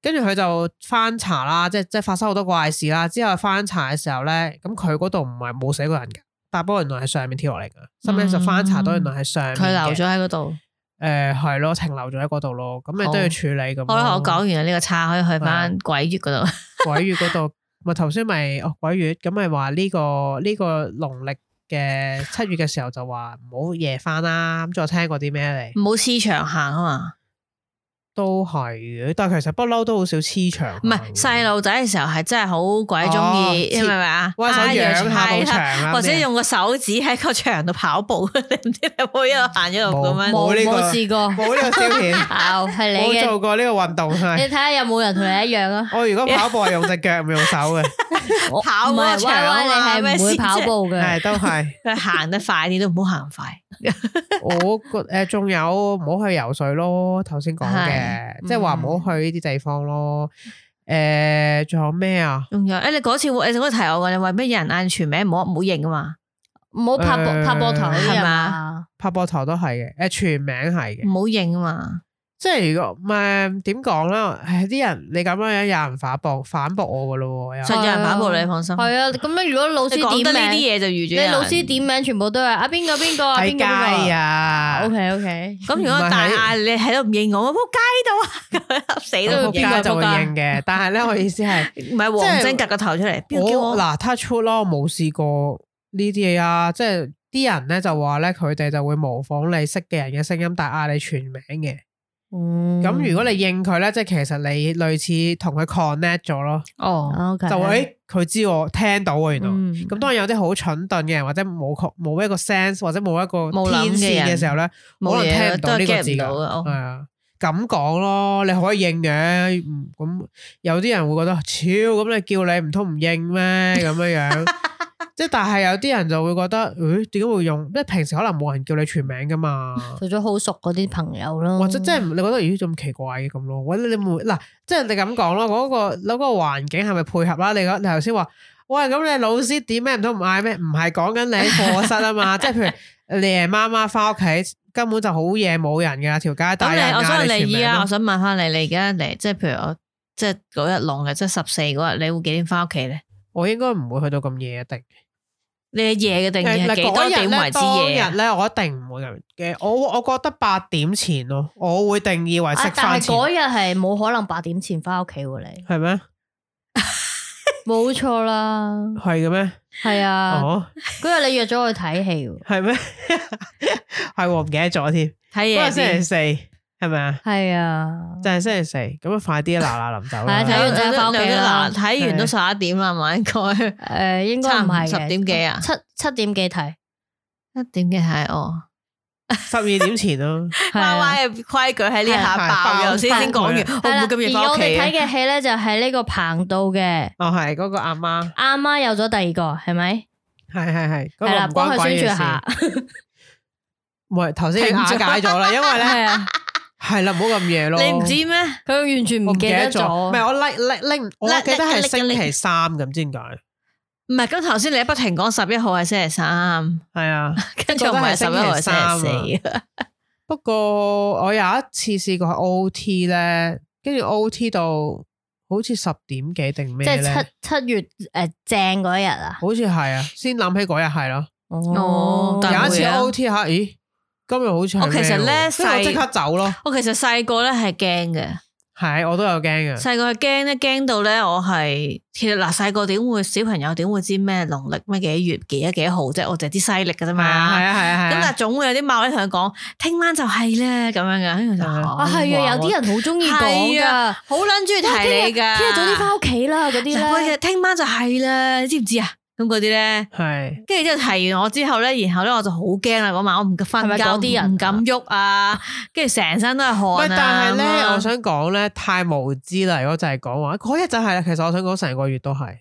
跟住佢就翻查啦，即係發生好多怪事啦。之後翻查嘅時候咧，咁佢嗰度唔係冇死過人嘅，但不過原來係上面跳落嚟嘅。後尾就翻查到原來係上面嘅，佢留咗喺嗰度。係咯，停留咗喺嗰度咯。咁你都要處理咁。好啦，我講完呢個叉，可以去翻鬼月嗰度。鬼月嗰度咪頭先咪鬼月，咁咪話呢個農曆嘅7月嘅時候就話唔好夜翻啦。咁再聽過啲咩嚟？唔好黐牆行啊嘛。都係嘅，但係其實不嬲都好少黐牆。唔係細路仔嘅時候係真係好鬼中意，係咪啊？握手養下埲牆，或者用個手指喺個牆度跑步，你唔知你有冇一路行一路咁樣？冇試過，冇呢個消遣，係你嘅。冇做過呢個運動，你睇下有冇人同你一樣啊？我如果跑步係用隻腳，唔用手嘅。跑個牆啊嘛，你係唔會跑步嘅，係都係。佢行得快啲都唔好行快。我仲有唔好去游水咯，頭先講嘅。即係話唔好去呢啲地方咯。仲有咩啊？仲有你嗰次你嗰個提我嘅，你話咩人嗌全名唔好認啊嘛？唔好拍膊頭係嘛？拍膊頭都係嘅。全名係嘅，唔好認啊嘛。即係如果點講啦？啲人你咁樣有人反駁我噶咯？實有人反駁你，放心。係啊，咁樣如果老師點名呢啲嘢就預咗。你老師點名全部都係啊邊個啊邊個啊 OK。咁如果大嗌你喺度唔認我，仆街度啊，死都仆街就會認嘅。但係咧，我意思係唔係黃晶夾個頭出嚟？我嗱 touch wood 咯，我冇試過呢啲嘢啊。即係啲人咧就話咧，佢哋就會模仿你識嘅人嘅聲音，但係嗌你全名嘅。咁如果你應佢咧，即係其實你類似同佢 connect 咗咯。哦，就會佢知我聽到啊，原來。咁當然有啲好蠢鈍嘅人，或者冇一個 sense，或者冇一個天線嘅時候咧，可能聽唔到呢個字噶。係啊，咁講咯，你可以應嘅。咁有啲人會覺得，超咁你叫你唔通唔應咩？咁樣樣。即係但係有啲人就會覺得，點解會用？即係平時可能冇人叫你全名噶嘛，除咗好熟嗰啲朋友咯，或者即係你覺得咁奇怪嘅咁咯？或者你會嗱，即係你咁講咯，嗰個環境係咪配合啦？你頭先話，喂，咁你老師點咩唔通唔嗌咩？唔係講緊你喺課室啊嘛，即係譬如你夜媽媽翻屋企，根本就好夜冇人噶條街，但係我想你你依家，我想問翻你而家嚟，即係譬如我即係嗰日農曆即係14嗰日，你會幾點翻屋企咧？我應該唔會去到咁夜一定。你嘅夜嘅定義係幾多點為之夜？當日咧，我一定唔會咁嘅。我覺得8點前咯，我會定義為食飯前。但係嗰日係冇可能8點前翻屋企喎，你係咩？冇錯啦，係嘅咩？係啊。哦，嗰日你約咗我去睇戲喎，係咩？係唔記得咗添。睇嘢嗰日星期四係咪啊？係啊，就係星期四，咁啊快啲嗱嗱臨走啦。係啊睇完就翻屋企啦睇完都11點啦，係咪應該？應該唔係嘅10點幾啊？七點幾睇1點幾睇哦。12點前咯。歪歪嘅規矩喺呢下爆咗先講完，我唔會咁夜翻屋企。而我哋睇嘅戲咧就係呢個彭導嘅。哦，係嗰個阿媽。阿媽有咗第二個，係咪？係。係啦，幫佢宣傳下。唔係頭先瓦解咗啦，因為咧係啦，唔好咁夜咯。你唔知咩？佢完全唔記得咗。唔係我拎，我記得係星期3咁，知點解？唔係，咁頭先你不停講11號係星期3，係啊，跟住唔係11號係星期4。不過我有一次試過 OT 咧，跟住 OT 到好似10點幾定咩咧？即係七月正嗰日啊？好似係啊，先諗起嗰日係咯。哦，有一次 OT 下，咦，今日好似我其實咧我即刻走咯。我其實細個咧係驚嘅。係，我都有驚嘅。細個係驚咧，驚到咧，我係其實嗱，細個點會小朋友點會知咩農曆咩幾月幾號啫？我淨係知西曆噶啫嘛。係啊。咁但係總會有啲貓咧同佢講，聽晚就係咧咁樣噶。跟住就係啊，有啲人好中意講噶，好撚中意提你噶。聽日早啲翻屋企啦，嗰啲咧。聽晚就係啦，你知唔知啊？咁嗰啲咧，係，跟住之後提完我之後咧，然後咧我就好驚啦嗰晚，我唔敢瞓覺，嗰啲人唔敢喐啊，跟住成身都係汗啊。但係咧，我想講咧，太無知啦！如果就係講話嗰日就係啦，其實我想講成個月都係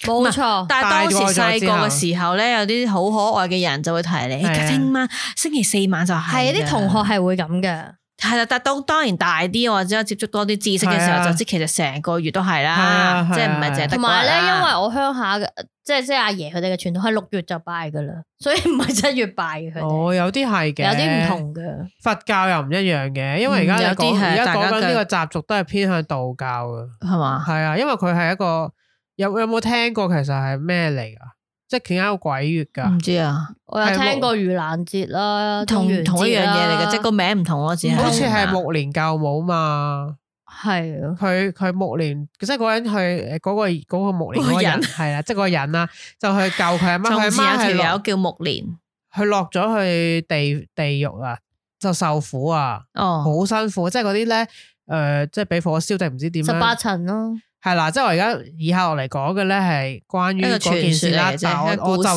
冇錯。但係當時細個嘅時候咧，有啲好可愛嘅人就會提你，聽晚星期4晚就係。啲同學係會咁嘅。係啦，但當然大啲或者接觸多啲知識嘅時候，就知其實成個月都係啦，即係唔係淨係得。同埋咧，因為我鄉下嘅，即係阿爺佢哋嘅傳統係6月就拜噶啦，所以唔係7月拜嘅佢哋。哦，有啲係嘅，有啲唔同嘅。佛教又唔一樣嘅，因為而家講緊呢個習俗都係偏向道教嘅，係嘛？係啊，因為佢係一個有冇聽過？其實係咩嚟噶？即係點解有鬼月噶？唔知啊，我有聽過盂蘭節啦，同一樣嘢嚟嘅，即係個名唔同咯，只係好似係目連救母嘛。係佢目連，即係嗰人去嗰個目連嗰個人係啦，即係嗰個人啦，就去救佢阿媽。佢阿媽係條友叫目連，佢落咗去地獄啊，就受苦啊，好辛苦。即係嗰啲咧，即係俾火燒定唔知點樣18層咯。係啦，即係我而家以下落嚟講嘅咧係關於嗰件事啦，但係我就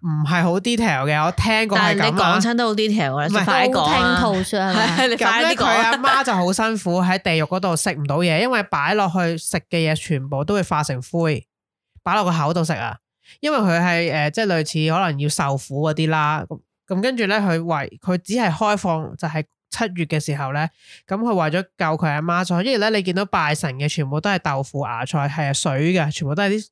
唔係好 detail 嘅，我聽過係咁。但係你講親都好 detail 嘅，唔係快講啊！咁咧佢阿媽就好辛苦喺地獄嗰度食唔到嘢，因為擺落去食嘅嘢全部都會化成灰，擺落個口度食啊。因為佢係即係類似可能要受苦嗰啲啦。咁跟住咧，佢只係開放就係7月嘅時候咧，咁佢為咗救佢阿媽，所以咧你見到拜神嘅全部都係豆腐芽菜，係水嘅，全部都係啲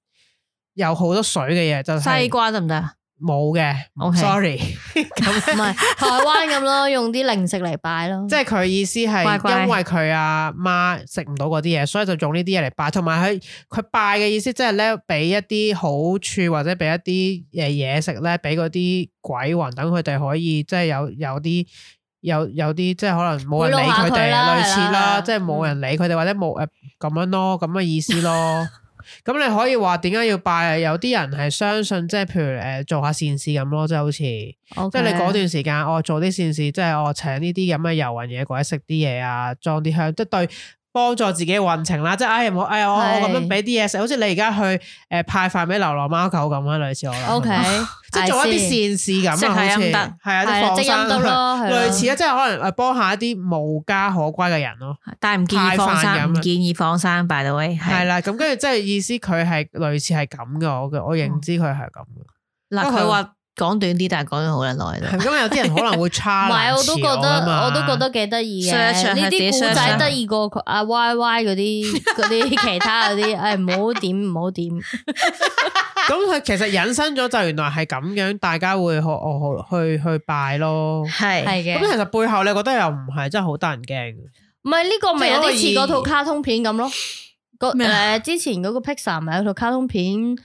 有好多水嘅嘢，就西瓜得唔得啊？冇嘅，sorry，咁唔係台灣咁咯，用啲零食嚟拜咯。即係佢意思係因為佢阿媽食唔到嗰啲嘢，所以就用呢啲嘢嚟拜。同埋佢拜嘅意思，即係咧俾一啲好處或者俾一啲嘢食咧，俾嗰啲鬼魂等佢哋可以即係有啲即係可能冇人理佢哋，類似啦，即係冇人理佢哋或者冇咁樣咯，咁嘅意思咯。咁你可以話點解要拜？有啲人係相信，即係譬如做下善事咁咯，即係好似，即係你嗰段時間做啲善事，即係請呢啲咁嘅遊魂野鬼食啲嘢啊，裝啲香，即係對幫助自己嘅運程啦。即係我咁樣俾啲嘢食，好似你而家去派飯俾流浪貓狗咁啊，類似我啦。OK，即係做一啲善事咁啊，好似係啊，啲放生類似啊，即係可能幫下一啲無家可歸嘅人咯。但係唔建議放生，唔建議放生。by the way， 係啦，咁跟住即係意思佢係類似係咁嘅，我認知佢係咁嘅。嗱，佢話講短啲，但係講咗好耐啦。咁有啲人可能會差，唔係，我都覺得幾得意嘅。呢啲古仔得意過阿 Y Y 嗰啲其他嗰啲，誒唔好點。咁佢其實引申咗就原來係咁樣，大家會去拜咯。係嘅。咁其實背後你覺得又唔係真係好得人驚。唔係呢個咪有啲似嗰套卡通片咁咯。之前嗰個 Pixar 咪有套卡通片，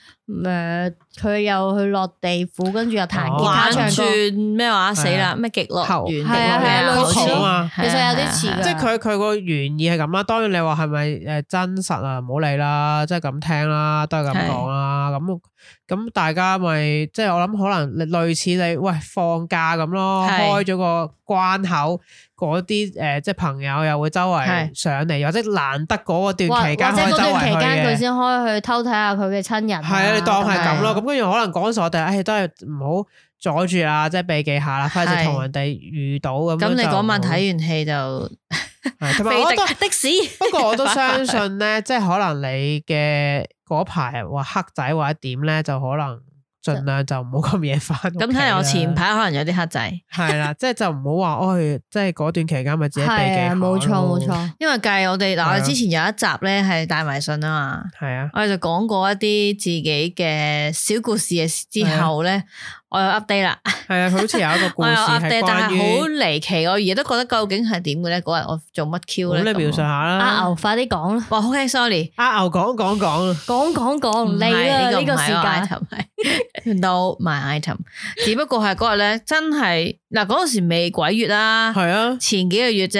佢又去落地府，跟住又彈吉他唱歌咩話死啦咩極樂園，係啊類似啊，其實有啲似嘅，即係佢個原意係咁啦。當然你話係咪真實啊？唔好理啦，即係咁聽啦，都係咁講啦。咁大家咪即係我諗可能類似你喂放假咁咯，開咗個關口，嗰啲即係朋友又會周圍上嚟，或者難得嗰段期間可以周圍去嘅。或者嗰段期間佢先可以去偷睇下佢嘅親人。係啊，你當係咁咯。咁跟住可能講實我哋，都係唔好阻住啊，即係避忌下啦，費事同人哋遇到咁。咁你嗰晚睇完戲就同埋我的士。不過我都相信咧，即係可能你嘅嗰排話黑仔或者點咧，就可能盡量就唔好咁夜翻。咁睇嚟我前排可能有啲黑仔，係啦，即係就唔好話即係嗰段期間咪自己避忌下。冇錯。因為計我哋嗱，我哋之前有一集咧係大迷信啊嘛，係啊，我哋就講過一啲自己嘅小故事嘅之後咧。我有 update 啦，係啊，佢好似有一個故事係但係好離奇，我而家都覺得究竟係點嘅咧？嗰日我做乜 Q 咧？咁你描述下啦。阿牛快啲講啦。哇，OK，sorry，阿牛講你啦，呢個時間。No my item， 只不過係嗰日咧，真係嗱嗰陣時未鬼月啦，係啊，前幾個月啫，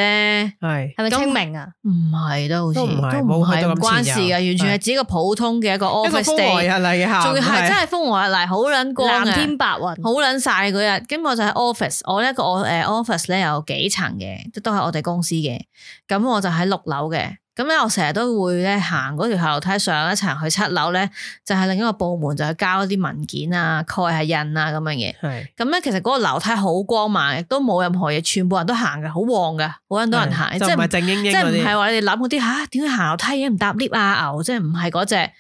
係咪清明啊？唔係都好似都唔係唔關事嘅，完全係自己個普通嘅一個 office day，日嚟嘅下，仲要係真係風和日麗，好撚光嘅，藍天白雲，好撚曬嗰日。咁我就喺 office，我呢個office 咧有幾層嘅，都係我哋公司嘅。咁我就喺6樓嘅。咁咧我成日都會咧行嗰條下樓梯上一層去7樓咧，就係另一個部門就去交一啲文件啊、蓋下印啊咁樣嘢。係。咁咧其實嗰個樓梯好光猛，亦都冇任何嘢，全部人都行嘅，好旺嘅，好多人行。即係唔係靜英英，即係唔係話你哋諗嗰啲吓，點解行樓梯嘅唔搭 lift 啊牛？即係唔係嗰隻，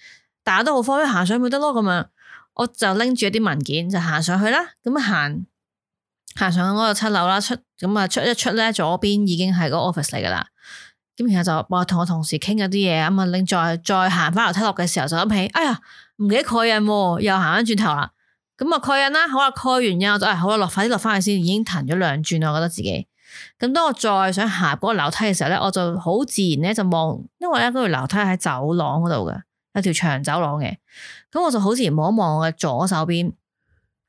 大家都好方便行上去得咯咁樣。我就拎住一啲文件就行上去啦。咁行上去嗰個7樓啦，出一出咧，左邊已經係個 office 嚟噶啦。咁然後就我同我同事傾咗啲嘢，咁啊拎再行翻樓梯落嘅時候就諗起，哎呀唔記得蓋印，又行翻轉頭啦。咁啊蓋印啦，好啦蓋完印我就好啦，快啲落翻去先，已經騰咗2轉，我覺得自己。咁當我再想行嗰個樓梯嘅時候咧，我就好自然咧就望，因為咧嗰條樓梯喺走廊嗰度嘅，有條長走廊嘅。咁我就好自然望一望我嘅左手邊，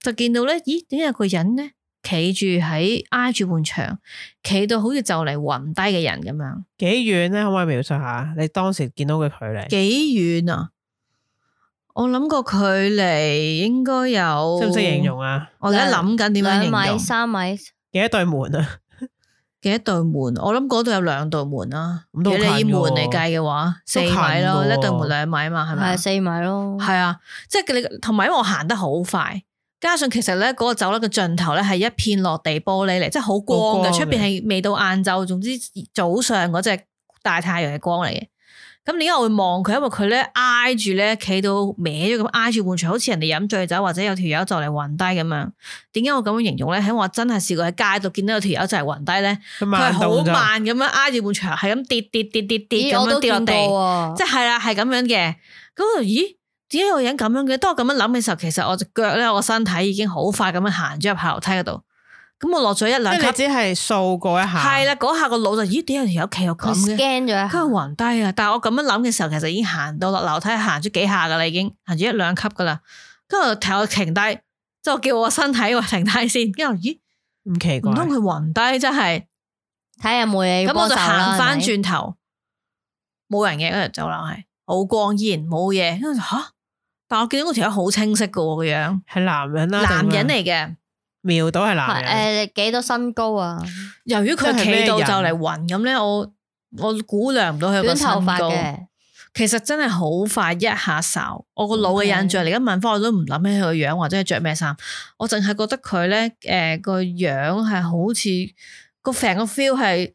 就見到咧，咦？點解有個人咧企住喺挨住埲牆，企到好似就嚟暈低嘅人咁樣。幾遠咧？可唔可以描述下你當時見到嘅距離？幾遠啊？我諗個距離應該有，識唔識形容啊？我而家諗緊點樣形容。2米3米，幾多對門啊？幾多對門？我諗嗰度有2道門啦。咁都近喎。以門嚟計嘅話，4米咯，一對門2米嘛，係咪？係4米咯。係啊，即係你同埋，因為我行得好快，加上其實咧嗰個走廊嘅盡頭咧係一片落地玻璃嚟，即係好光嘅，出邊係未到晏晝，總之早上嗰隻大太陽嘅光嚟嘅。咁點解我會望佢？因為佢咧挨住咧企到歪咗咁，挨住埲牆，好似人哋飲醉酒或者有條友就嚟暈低咁樣。點解我咁樣形容咧？喺我真係試過喺街度見到有條友就嚟暈低咧，佢係好慢咁樣挨住埲牆，係咁跌咁樣跌落地，即係啦，係咁樣嘅。咁我咦？點解有個人咁樣嘅？當我咁樣諗嘅時候，其實我隻腳咧，我個身體已經好快咁樣行咗入下樓梯嗰度。咁我落咗1-2級，即係只係掃過一下。係啦，嗰下個腦就咦？點解有條友企又咁嘅？ scan 咗，佢暈低啊！但係我咁樣諗嘅時候，其實已經行到落樓梯，行咗幾下噶啦，已經行咗1-2級噶啦。跟住我停低，即係我叫我身體話停低先。跟住咦？唔奇怪，唔通佢暈低？真係睇下有冇嘢。咁我就行翻轉頭，冇人嘅嗰條走廊係好光，依然冇嘢。跟住吓，但我見到嗰條友好清晰噶個樣，係男人啦，男人嚟嘅。瞄到係男人。幾多身高啊？由於佢企到就嚟暈咁咧，我估量唔到佢個身高。短頭髮嘅，其實真係好快一下掃。我個腦嘅印象，而家問翻我都唔諗起佢個樣或者係着咩衫，我淨係覺得佢咧個樣係好似個成個 feel 係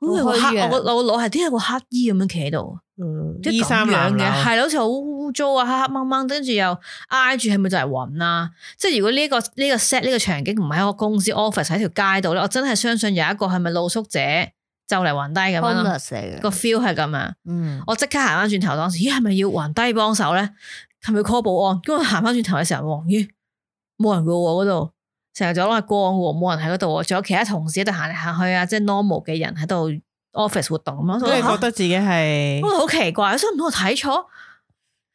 好似個黑，我個腦係點解個黑衣咁樣企喺度？衣衫襤褸嘅，係好似好污糟啊，黑黑掹掹，跟住又挨住，係咪就係暈啊？即係如果呢個 set 呢個場景唔係喺個公司 office 喺條街度咧，我真係相信有一個係咪露宿者就嚟暈低咁樣咯。個 feel 係咁啊，我即刻行翻轉頭，當時咦係咪要暈低幫手咧？係咪 call 保安？咁我行翻轉頭嘅時候，咦冇人噶喎，嗰度成日走廊係光嘅，冇人喺嗰度，仲有其他同事喺度行嚟行去啊，即係 normal 嘅人喺度 office 活動咁樣。咁你覺得自己係？我好奇怪，所以唔通我睇錯？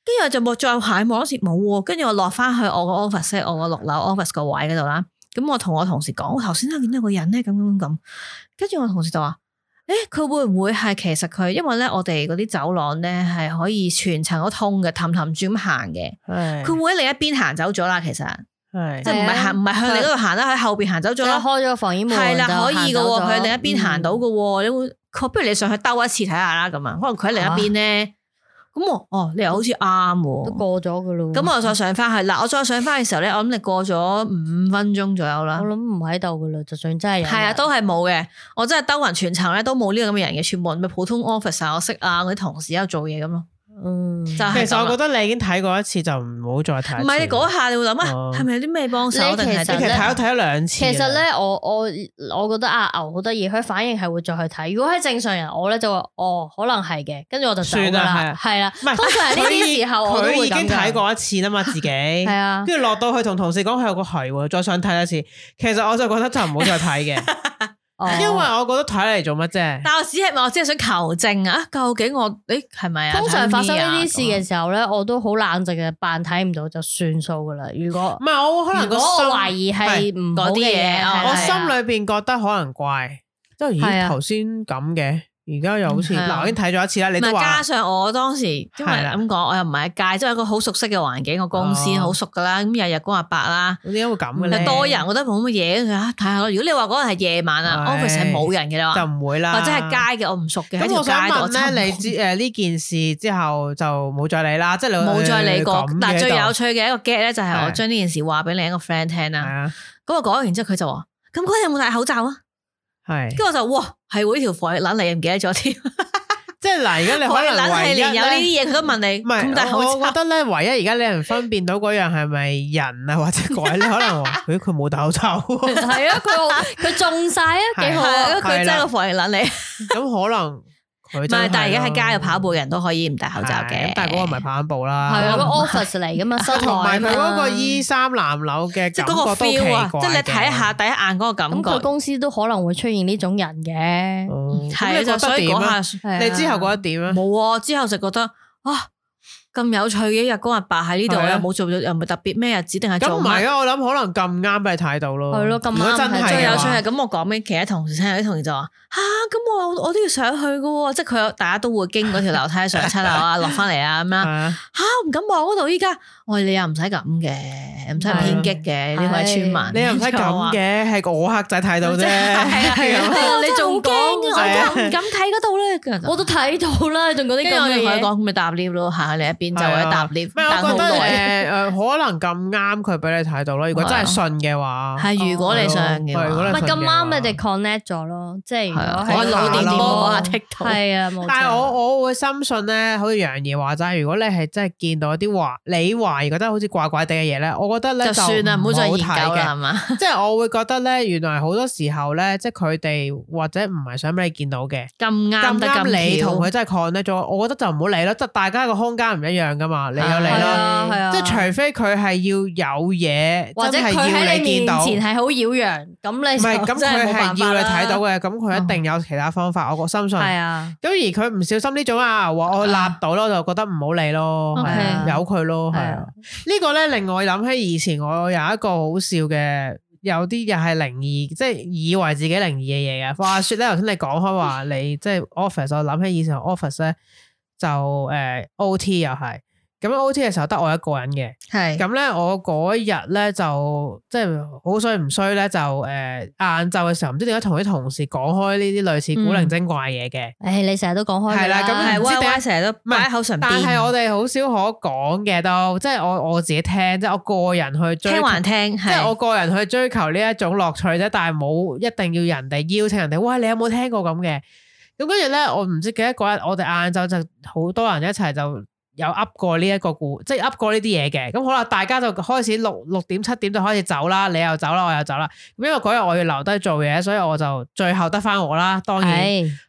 跟住我就冇再行望嗰時冇，跟住我落翻去我個 office， 我個6樓 office 個位嗰度啦。咁我同我同事講，我頭先都見到個人咧，咁。跟住我同事就話：佢會唔會係其實佢？因為咧我哋嗰啲走廊咧係可以全層都通嘅，氹住咁行嘅。佢會唔會喺另一邊行走咗啦？其實。係，即係唔係向你嗰度行啦，喺後邊行走咗啦，開咗個防煙門係啦，可以噶，佢喺另一邊行到噶，你會，不如你上去兜一次睇下啦，咁啊，可能佢喺另一邊咧，咁你又好似啱，都過咗噶咯，咁我再上翻去，嗱，我再上翻嘅時候咧，我諗你過咗5分鐘左右啦，我諗唔喺度噶啦，就算真係有，係啊，都係冇嘅，我真係兜勻全層咧都冇呢個咁嘅人嘅，全部人咪普通 office 啊，我識啊，嗰啲同事喺度做嘢咁咯。其實我覺得你已經睇過一次就唔好再睇。唔係你嗰下你會諗啊，係咪有啲咩幫手？其實睇咗2次。其實咧，我覺得阿牛好得意，佢反應係會再去睇。如果係正常人，我咧就話可能係嘅，跟住我就走㗎啦。係啦，通常呢啲時候我都會咁。佢已經睇過一次啦嘛，自己係啊，跟住落到去同同事講，佢有個係喎，再想睇一次。其實我就覺得就唔好再睇嘅。因為我覺得睇嚟做乜啫？但我只係想求證啊，究竟我係咪啊？通常發生呢啲事嘅時候咧，我都好冷靜嘅，扮睇唔到就算數噶啦。如果唔係我可能如果我懷疑係唔好嘅嘢，我心裏邊覺得可能怪，即係咦頭先咁嘅。而家又好似嗱，我已經睇咗一次啦。你都話加上我當時因為咁講，我又唔係喺街，即係一個好熟悉嘅環境，個公司好熟噶啦。咁日日光日白啦，點解會咁嘅咧？多人，我覺得冇乜嘢，睇下咯。如果你話嗰日係夜晚啊，office 係冇人嘅話，就唔會啦。或者係街嘅，我唔熟嘅。咁我想問咧，你呢件事之後就冇再理啦，即係你冇再理過。嗱，最有趣嘅一個 get 咧，就係我將呢件事話俾另一個 friend 聽啦。咁我講完之後，佢就話：咁嗰日有冇戴口罩啊？係。跟住我就哇，係喎，呢條防疫撚你唔記得咗添。即係嗱，而家你可能唯一有呢啲嘢，佢都問你。唔係，我覺得咧，唯一而家你能分辨到嗰樣係咪人啊，或者鬼，你可能話佢冇戴口罩。係啊，佢中晒啊，幾好啊，佢真係個防疫撚你。咁可能。唔係，但係而家喺街度跑步嘅人都可以唔戴口罩嘅。但係嗰個唔係跑緊步啦。係啊，個 office 嚟噶嘛，同埋佢嗰個E3南樓嘅感覺都奇怪。即係你睇下第一眼嗰個感覺。咁佢公司都可能會出現呢種人嘅。咁你覺得點啊？你之後覺得點啊？冇啊，之後就覺得咁有趣嘅日光日白喺呢度，又冇做咗，又唔係特別咩日子，定係做？咁唔係啊，我諗可能咁啱俾你睇到咯。係咯，咁啱。真係最有趣係咁，我講俾其他同事聽，有啲同事就話咁我都要上去噶，即係佢大家都會經嗰條樓梯上7樓啊，落翻嚟啊咁樣。唔敢望嗰度依家。我話你又唔使咁嘅，唔使偏激嘅呢位村民。你又唔使咁嘅，係我黑仔睇到啫。你仲驚？我唔敢睇嗰度咧。我都睇到啦，仲嗰啲咁嘅嘢。講咪搭 lift 咯，行去另一邊就係搭 lift。我覺得可能咁啱佢俾你睇到咯。如果真係信嘅話，係如果你信嘅話，唔係咁啱你哋 connect 咗咯。即係如果係腦電波嗰下剔到。係啊，冇錯。但係我會深信咧，好似楊怡話齋，如果你係真係見到啲你懷疑覺得好似怪怪地嘅嘢咧，我覺得咧就算啦，唔好再研究啦，係嘛？即係我會覺得咧，原來好多時候咧，即係佢哋或者唔係想俾你見到嘅，咁啱你同佢真係 connect 咗，我覺得就唔好理咯。即係大家個空間唔一樣噶嘛，你有你咯，即係除非佢係要有嘢，或者佢喺你面前係好擾攘，咁你唔係咁佢係要你睇到嘅，咁佢一定有其他方法，我深信。係啊，咁而佢唔小心呢種話我立到咯，就覺得唔好理咯，由佢咯，係啊。呢個咧令我諗起以前我有一個好笑嘅，有啲又係靈異，即係以為自己靈異嘅嘢嘅。話說咧，頭先你講開話你即係 office， 我諗起以前 office 咧就OT 又係。咁 OT 嘅時候得我一個人嘅，係咁咧，我嗰日咧就即係好衰唔衰咧，就晏晝嘅時候唔知點解同啲同事講開呢啲類似古靈精怪嘢嘅。你成日都講開係啦，咁唔知點解成日都擺喺口唇邊，但係我哋好少可講嘅都，即係我自己聽，即係我個人去追求，聽還聽，即係我個人去追求呢一種樂趣啫，但係冇一定要人哋邀請人哋，喂，你有冇聽過咁嘅？咁跟住咧，我唔知幾多嗰日，我哋晏晝就好多人一齊就有噏過呢一個即係噏過呢啲嘢嘅。咁好啦，大家就開始6點7點就開始走啦，你又走啦，我又走啦。咁因為嗰日我要留低做嘢，所以我就最後得翻我啦。當然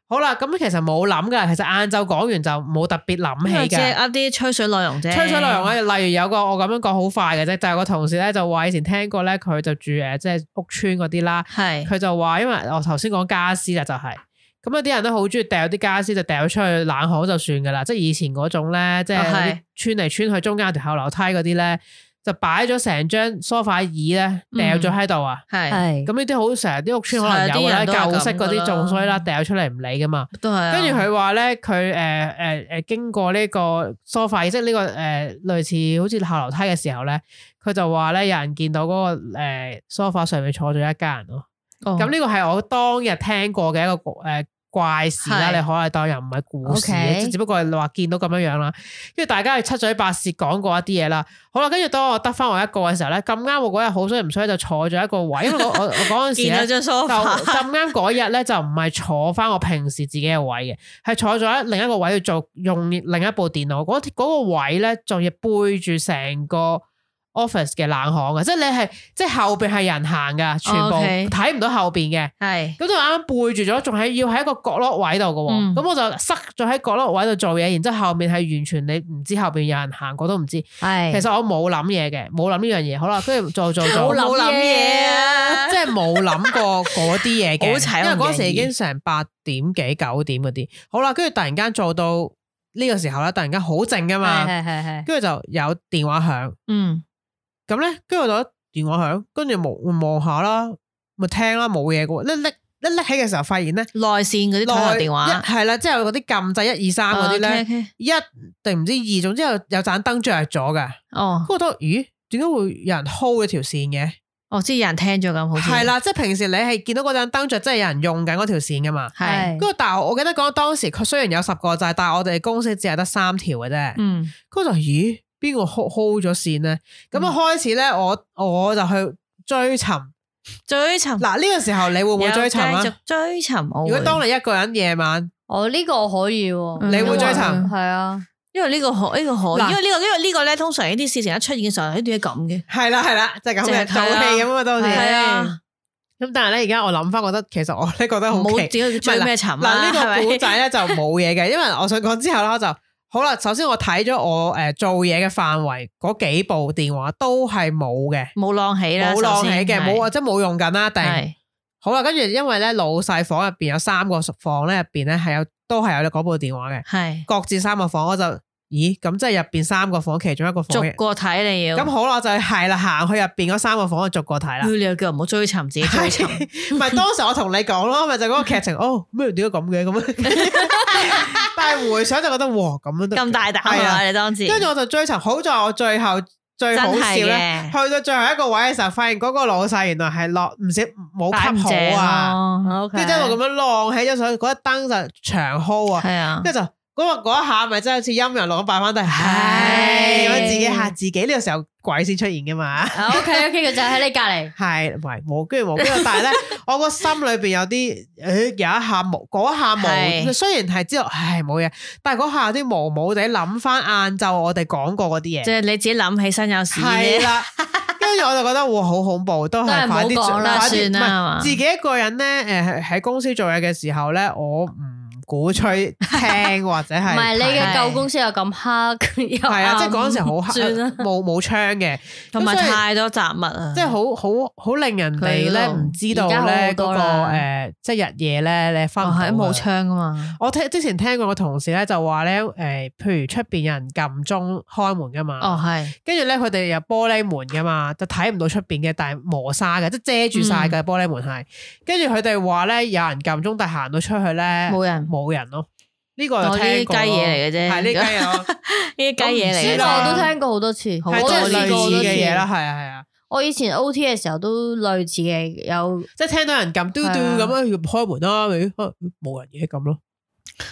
好啦，咁其實冇諗噶，其實晏晝講完就冇特別諗起嘅，即係啲吹水內容啫。吹水內容咧，例如有個我咁樣講好快嘅啫，就係個同事咧就話以前聽過咧，佢就住即係屋村嗰啲啦，佢就話因為我頭先講家私啦，就係咁有啲人都好中意掉啲家私就掉出去冷巷就算噶啦，即係以前嗰種咧，即係穿嚟穿去中間有條後樓梯嗰啲咧。就擺咗成張梳化椅咧，掉咗喺度啊！係咁呢啲好成日啲屋村可能有啦，舊式嗰啲仲衰啦，掉出嚟唔理噶嘛。都係。跟住佢話咧，佢經過呢個梳化椅，即係呢個類似好似後樓梯嘅時候咧，佢就話咧有人見到嗰個梳化上面坐咗一家人咯。咁呢個係我當日聽過嘅一個怪事啦，你可能當又唔係故事嘅，只不過係話見到咁樣樣啦。跟住大家係七嘴八舌講過一啲嘢啦。好啦，跟住當我得翻我一個嘅時候咧，咁啱我嗰日好衰唔衰就坐咗一個位，因為我嗰陣時咧就咁啱嗰日咧就唔係坐翻我平時自己嘅位嘅，係坐咗喺另一個位去用另一部電腦。嗰個位咧仲要背住成個office 嘅冷巷嘅，即係你係即係後邊係人行噶，全部睇唔到後邊嘅。係咁就啱啱背住咗，仲係要喺一個角落位度嘅。咁我就塞咗喺角落位度做嘢，然之後後面係完全你唔知後邊有人行過都唔知。係其實我冇諗嘢嘅，冇諗呢樣嘢。好啦，跟住做冇諗嘢啊，即係冇諗過嗰啲嘢嘅。因為嗰時已經成8點幾9點嗰啲。好啦，跟住突然間做到呢個時候咧，突然間好靜噶嘛。係。跟住就有電話響。咁咧，跟住我就電話響，跟住望下啦，咪聽啦，冇嘢嘅。拎起嘅時候，發現咧內線嗰啲通話電話係啦，即係嗰啲撳掣1 2 3嗰啲咧，一定唔知2，總之有盞燈着咗嘅。哦，我覺得咦，點解會有人 hold 咗條線嘅？哦，即係有人聽咗咁，好似係啦，即係平時你係見到嗰盞燈着，即係有人用緊嗰條線噶嘛。係，跟住但係我記得講當時佢雖然有10個掣，但係我哋公司只係得3條嘅啫。嗯，跟住就咦？邊個 hold 咗線咧？咁啊開始咧，我就去追尋。嗱呢個時候你會唔會追尋啊？追尋。如果當你一個人夜晚，呢個可以，你會追尋？係啊，因為呢個可，因為呢個咧，通常呢啲事情一出現嘅時候，一定係咁嘅。係啦，就係咁嘅，做戲咁啊，當時。係啊。咁但係咧，而家我諗翻，覺得其實我咧覺得好奇，追咩尋？嗱呢個古仔咧就冇嘢嘅，因為我想講之後咧就。好啦，首先我睇咗我做嘢嘅範圍嗰幾部電話都係冇嘅，冇晾起啦，冇晾起嘅，冇或者冇用緊啦。定好啦，跟住因為咧老細房入邊有3個房咧，入邊咧都係有嗰部電話嘅，係各自3個房，我就咦咁即係入邊3個房其中一個房逐個睇你要，咁好啦，就係啦，行去入邊嗰3個房去逐個睇啦。你又叫唔好追尋自己追尋，唔係當時我同你講咯，咪就嗰個劇情哦咩點解咁嘅咁。但係回想就覺得哇咁樣都咁大膽啊！你當時，跟住我就追尋，好在我最後最好笑咧，去到最後一個位嘅時候，發現嗰個老細原來係落唔少冇吸好啊，跟住一路咁樣晾起咗上去，嗰一燈就長 hold 啊，係啊，跟住就嗰一下咪真係好似陰陽路咁擺翻低，係咁自己嚇自己，呢個時候鬼先出現噶嘛。OK，佢就喺你隔籬，係喂冇跟住，但係咧我個心裏邊有啲有一下冇嗰一下冇，雖然係知道唉冇嘢，但係嗰下有啲毛毛地諗翻晏晝我哋講過嗰啲嘢，即係你自己諗起身有事係啦。跟住我就覺得哇好恐怖，都係快啲算啦，算啦，自己一個人咧喺公司做嘢嘅時候咧，我唔鼓吹聽或者係，唔係你嘅舊公司又咁黑，係啊，即係嗰陣時好黑，冇窗嘅，同埋太多雜物啊，即係好令人哋咧唔知道咧嗰個即係日夜咧你分唔到，冇窗噶嘛。我之前聽過個同事咧就話咧譬如出邊有人撳鐘開門噶嘛，哦係，跟住咧佢哋有玻璃門噶嘛，就睇唔到出邊嘅，但係磨砂嘅，即係遮住晒嘅玻璃門係。跟住佢哋話咧有人撳鐘，但係行到出去咧冇人咯，呢個就聽過，雞嘢嚟嘅啫，係呢雞嘢咯，呢啲雞嘢嚟嘅，我都聽過好多次，好多類似嘅嘢啦，係啊。我以前 OT 嘅時候都類似嘅，有即係聽到人撳嘟嘟咁樣開門啦，冇人嘢咁咯。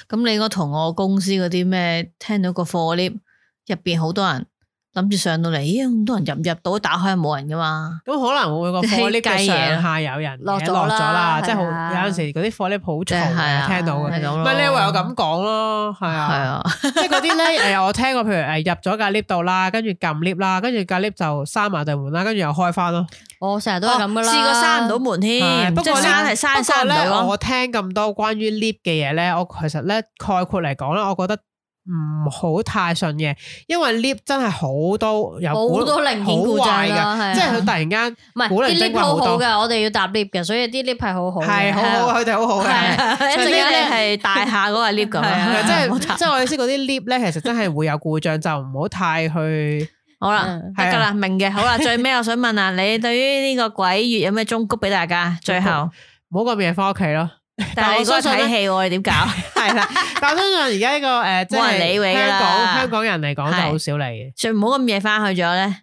咁你應該同我公司嗰啲咩聽到個貨 lift 入邊好多人諗住上到嚟，咦咁多人入到打開冇人噶嘛？咁可能會個貨 lift 嘅上下有人落咗啦，即係好係啊有陣時嗰啲貨 lift 好嘈係啊聽到嘅，係咁咯唔係你唯有咁講咯，係係啊，啊，即係嗰啲咧我聽過，譬如入咗架 lift 度啦，跟住撳 lift 啦，跟住架 lift 就閂埋對門啦，跟住又開翻咯。我成日都係咁噶啦，試過閂唔到門添，不過即係閂係閂唔到咯。我聽咁多關於 lift 嘅嘢咧，我其實咧概括嚟講咧，我覺得唔好太順嘅，因為 lift 真係好多有好多零件故障啦，係啊即係佢突然間唔係啲古靈精 lift 怪好多，好好嘅，我哋要搭 lift 嘅，所以啲 lift 係好好嘅，係好好，佢哋好好嘅。係一陣間你係大廈嗰個 lift 咁樣，即係我意思嗰啲 lift 咧，其實真係會有故障，就唔好太去。好啦，得㗎啦，明嘅。好啦，最尾我想問啊，你對於呢個鬼月有咩忠告俾大家？最後唔好咁夜翻屋企咯。但係你嗰日睇戲喎，你點搞？係啦，但我相信而家呢個即冇人理係你㗎啦香港人嚟講就好少嚟嘅。最唔好咁夜翻去咗咧，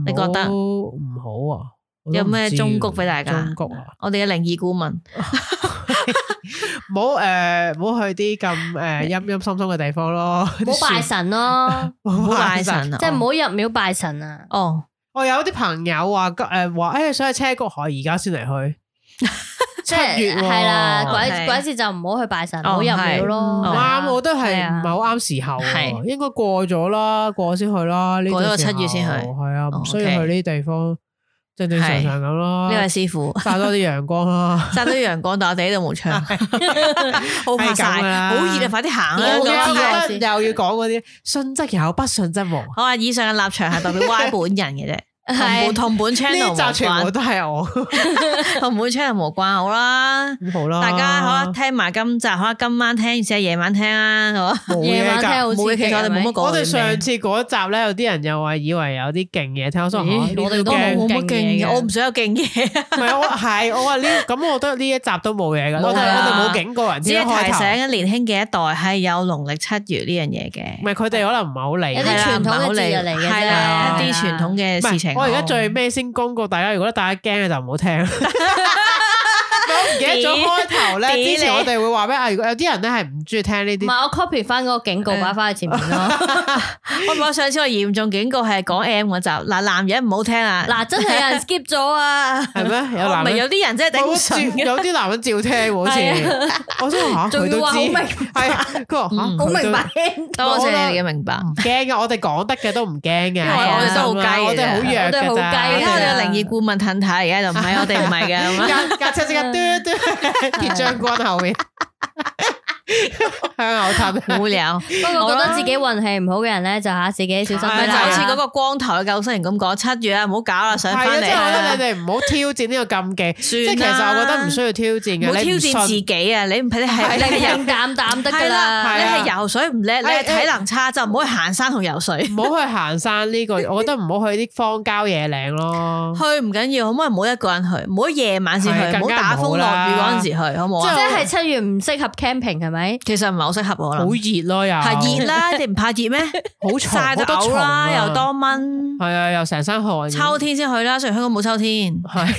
你覺得唔好啊？有咩忠告俾大家？忠告啊！我哋嘅靈異顧問，唔好去啲咁陰陰森森嘅地方咯。唔好拜神咯，唔好拜神啊！即係唔好入廟拜神啊。哦，我有啲朋友話想去車谷海，而家先嚟去。即係7月喎係啦，係鬼節就唔好去拜神，唔好入廟咯。唔啱，我覺得係係啊唔係好啱時候啊？係應該過咗啦，過先去啦。呢過咗個個時候7月先去係啊，唔需要 OK 去呢啲地方，正正常常咁咯。呢位師傅曬多啲陽光啦。曬到陽光，但我哋呢度冇窗，好怕係咁曬，㗎啦好熱啊！快啲行啦！我又知啊又要講嗰啲信則有，不信則無。好啊！以上嘅立場係代表 Y 本人嘅啫，係同本呢 channel 無集全部關，都係我，同本 channel 無關。好啦，好啦。大家好啦，聽埋今集，好啦，今晚聽，而且夜晚聽啊，好啊。冇夜晚嘢㗎。聽好刺激，冇嘢其實我哋冇乜講我哋上次嗰集咧，有啲人又話以為有啲勁嘢聽，我想咦我哋都冇冇乜勁勁嘢嘢，嘅我唔想有勁嘢，唔係我話呢咁，我覺得呢一集都冇嘢㗎。我哋冇警告人只先開頭。係提醒緊年輕嘅一代係有農曆7月呢樣嘢嘅唔。係佢哋可能唔係好理。有啲傳統嘅節日嚟嘅啫係啦，一啲係啦傳統嘅唔係事情。我而家最尾先公告大家，如果大家驚嘅就唔好聽。我唔記得咗開頭咧，點之前我哋會話咩？如果有啲人咧係唔中意聽呢啲，唔係我 copy 翻嗰個警告擺翻喺前面咯。我上次我嚴重警告係講 M 嗰集，嗱男人唔好聽啊！嗱，真係有人 skip 咗啊！係咩？有男人唔係有啲人真係頂唔順嘅。有啲男人照聽喎，好似我想話仲佢都知，要話好明係佢話嚇好佢都明白，多謝你哋嘅明白。唔驚嘅，我哋講得嘅都唔驚嘅，因為我哋都好雞嘅我哋好弱我哋好嘅咋，雞而家我哋有靈異顧問褪太，而家就唔係我哋唔係嘅咁啊。架車即刻嘟嘟鐵將軍後面向後褪，無聊。不過覺得自己運氣唔好嘅人咧，就自己小心啲係就好似嗰啦。個光頭嘅救生員咁講，7月啊，唔好搞啦，上係啊，翻嚟即係我覺得啊。你哋唔好挑戰呢個禁忌，即係其算啦實我覺得唔需要挑戰嘅，唔好挑你唔戰自信己啊！你係平淡淡得噶係啦，啦，你係啊係游水唔叻，你係體能差就唔好去行山同游水。唔好去行山呢個，我覺得唔好去啲荒郊野嶺咯。去唔緊要，可唔可以唔好一個人去，唔好夜晚先去，唔好係更加打風落唔好啦雨嗰陣時去，好唔好啊？即係7月唔適合 camping 係咪？其實唔係好適合我啦好，熱咯又，係熱啦，你唔怕熱咩？好重，曬到好多蟲嘔啦，啊又多蚊。係啊，又成身汗。秋天先去啦，雖然香港冇秋天，係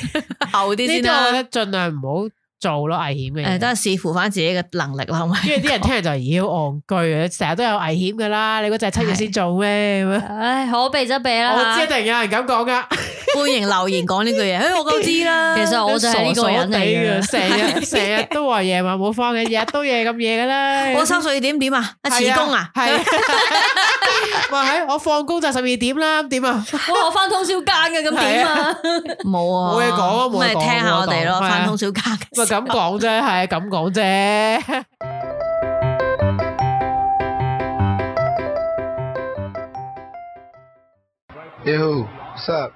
後啲先呢啲，我覺啦。得盡量唔好做咯，危險嘅嘢。誒，都係視乎翻自己嘅能力啦，好咪？因為啲人聽嚟就妖戇居啊，成日都有危險噶啦，你嗰就係7月先做咩咁樣？唉，可避則避啦。我知一定有人咁講噶，歡迎留言講呢句嘢，我都知啦。其實我就係呢個人嚟嘅。成日都話夜晚冇翻嘅，日日都夜咁夜噶啦。我3歲點啊？辭工啊？係咪係我放工就12點啦，點啊？哇，我翻通宵更嘅，咁點啊？冇啊，冇嘢講啊冇嘢講咪聽下我哋咯，冇嘢講翻通宵更嘅咪時候。咁講啫，係咁講啫。Yo, what's up?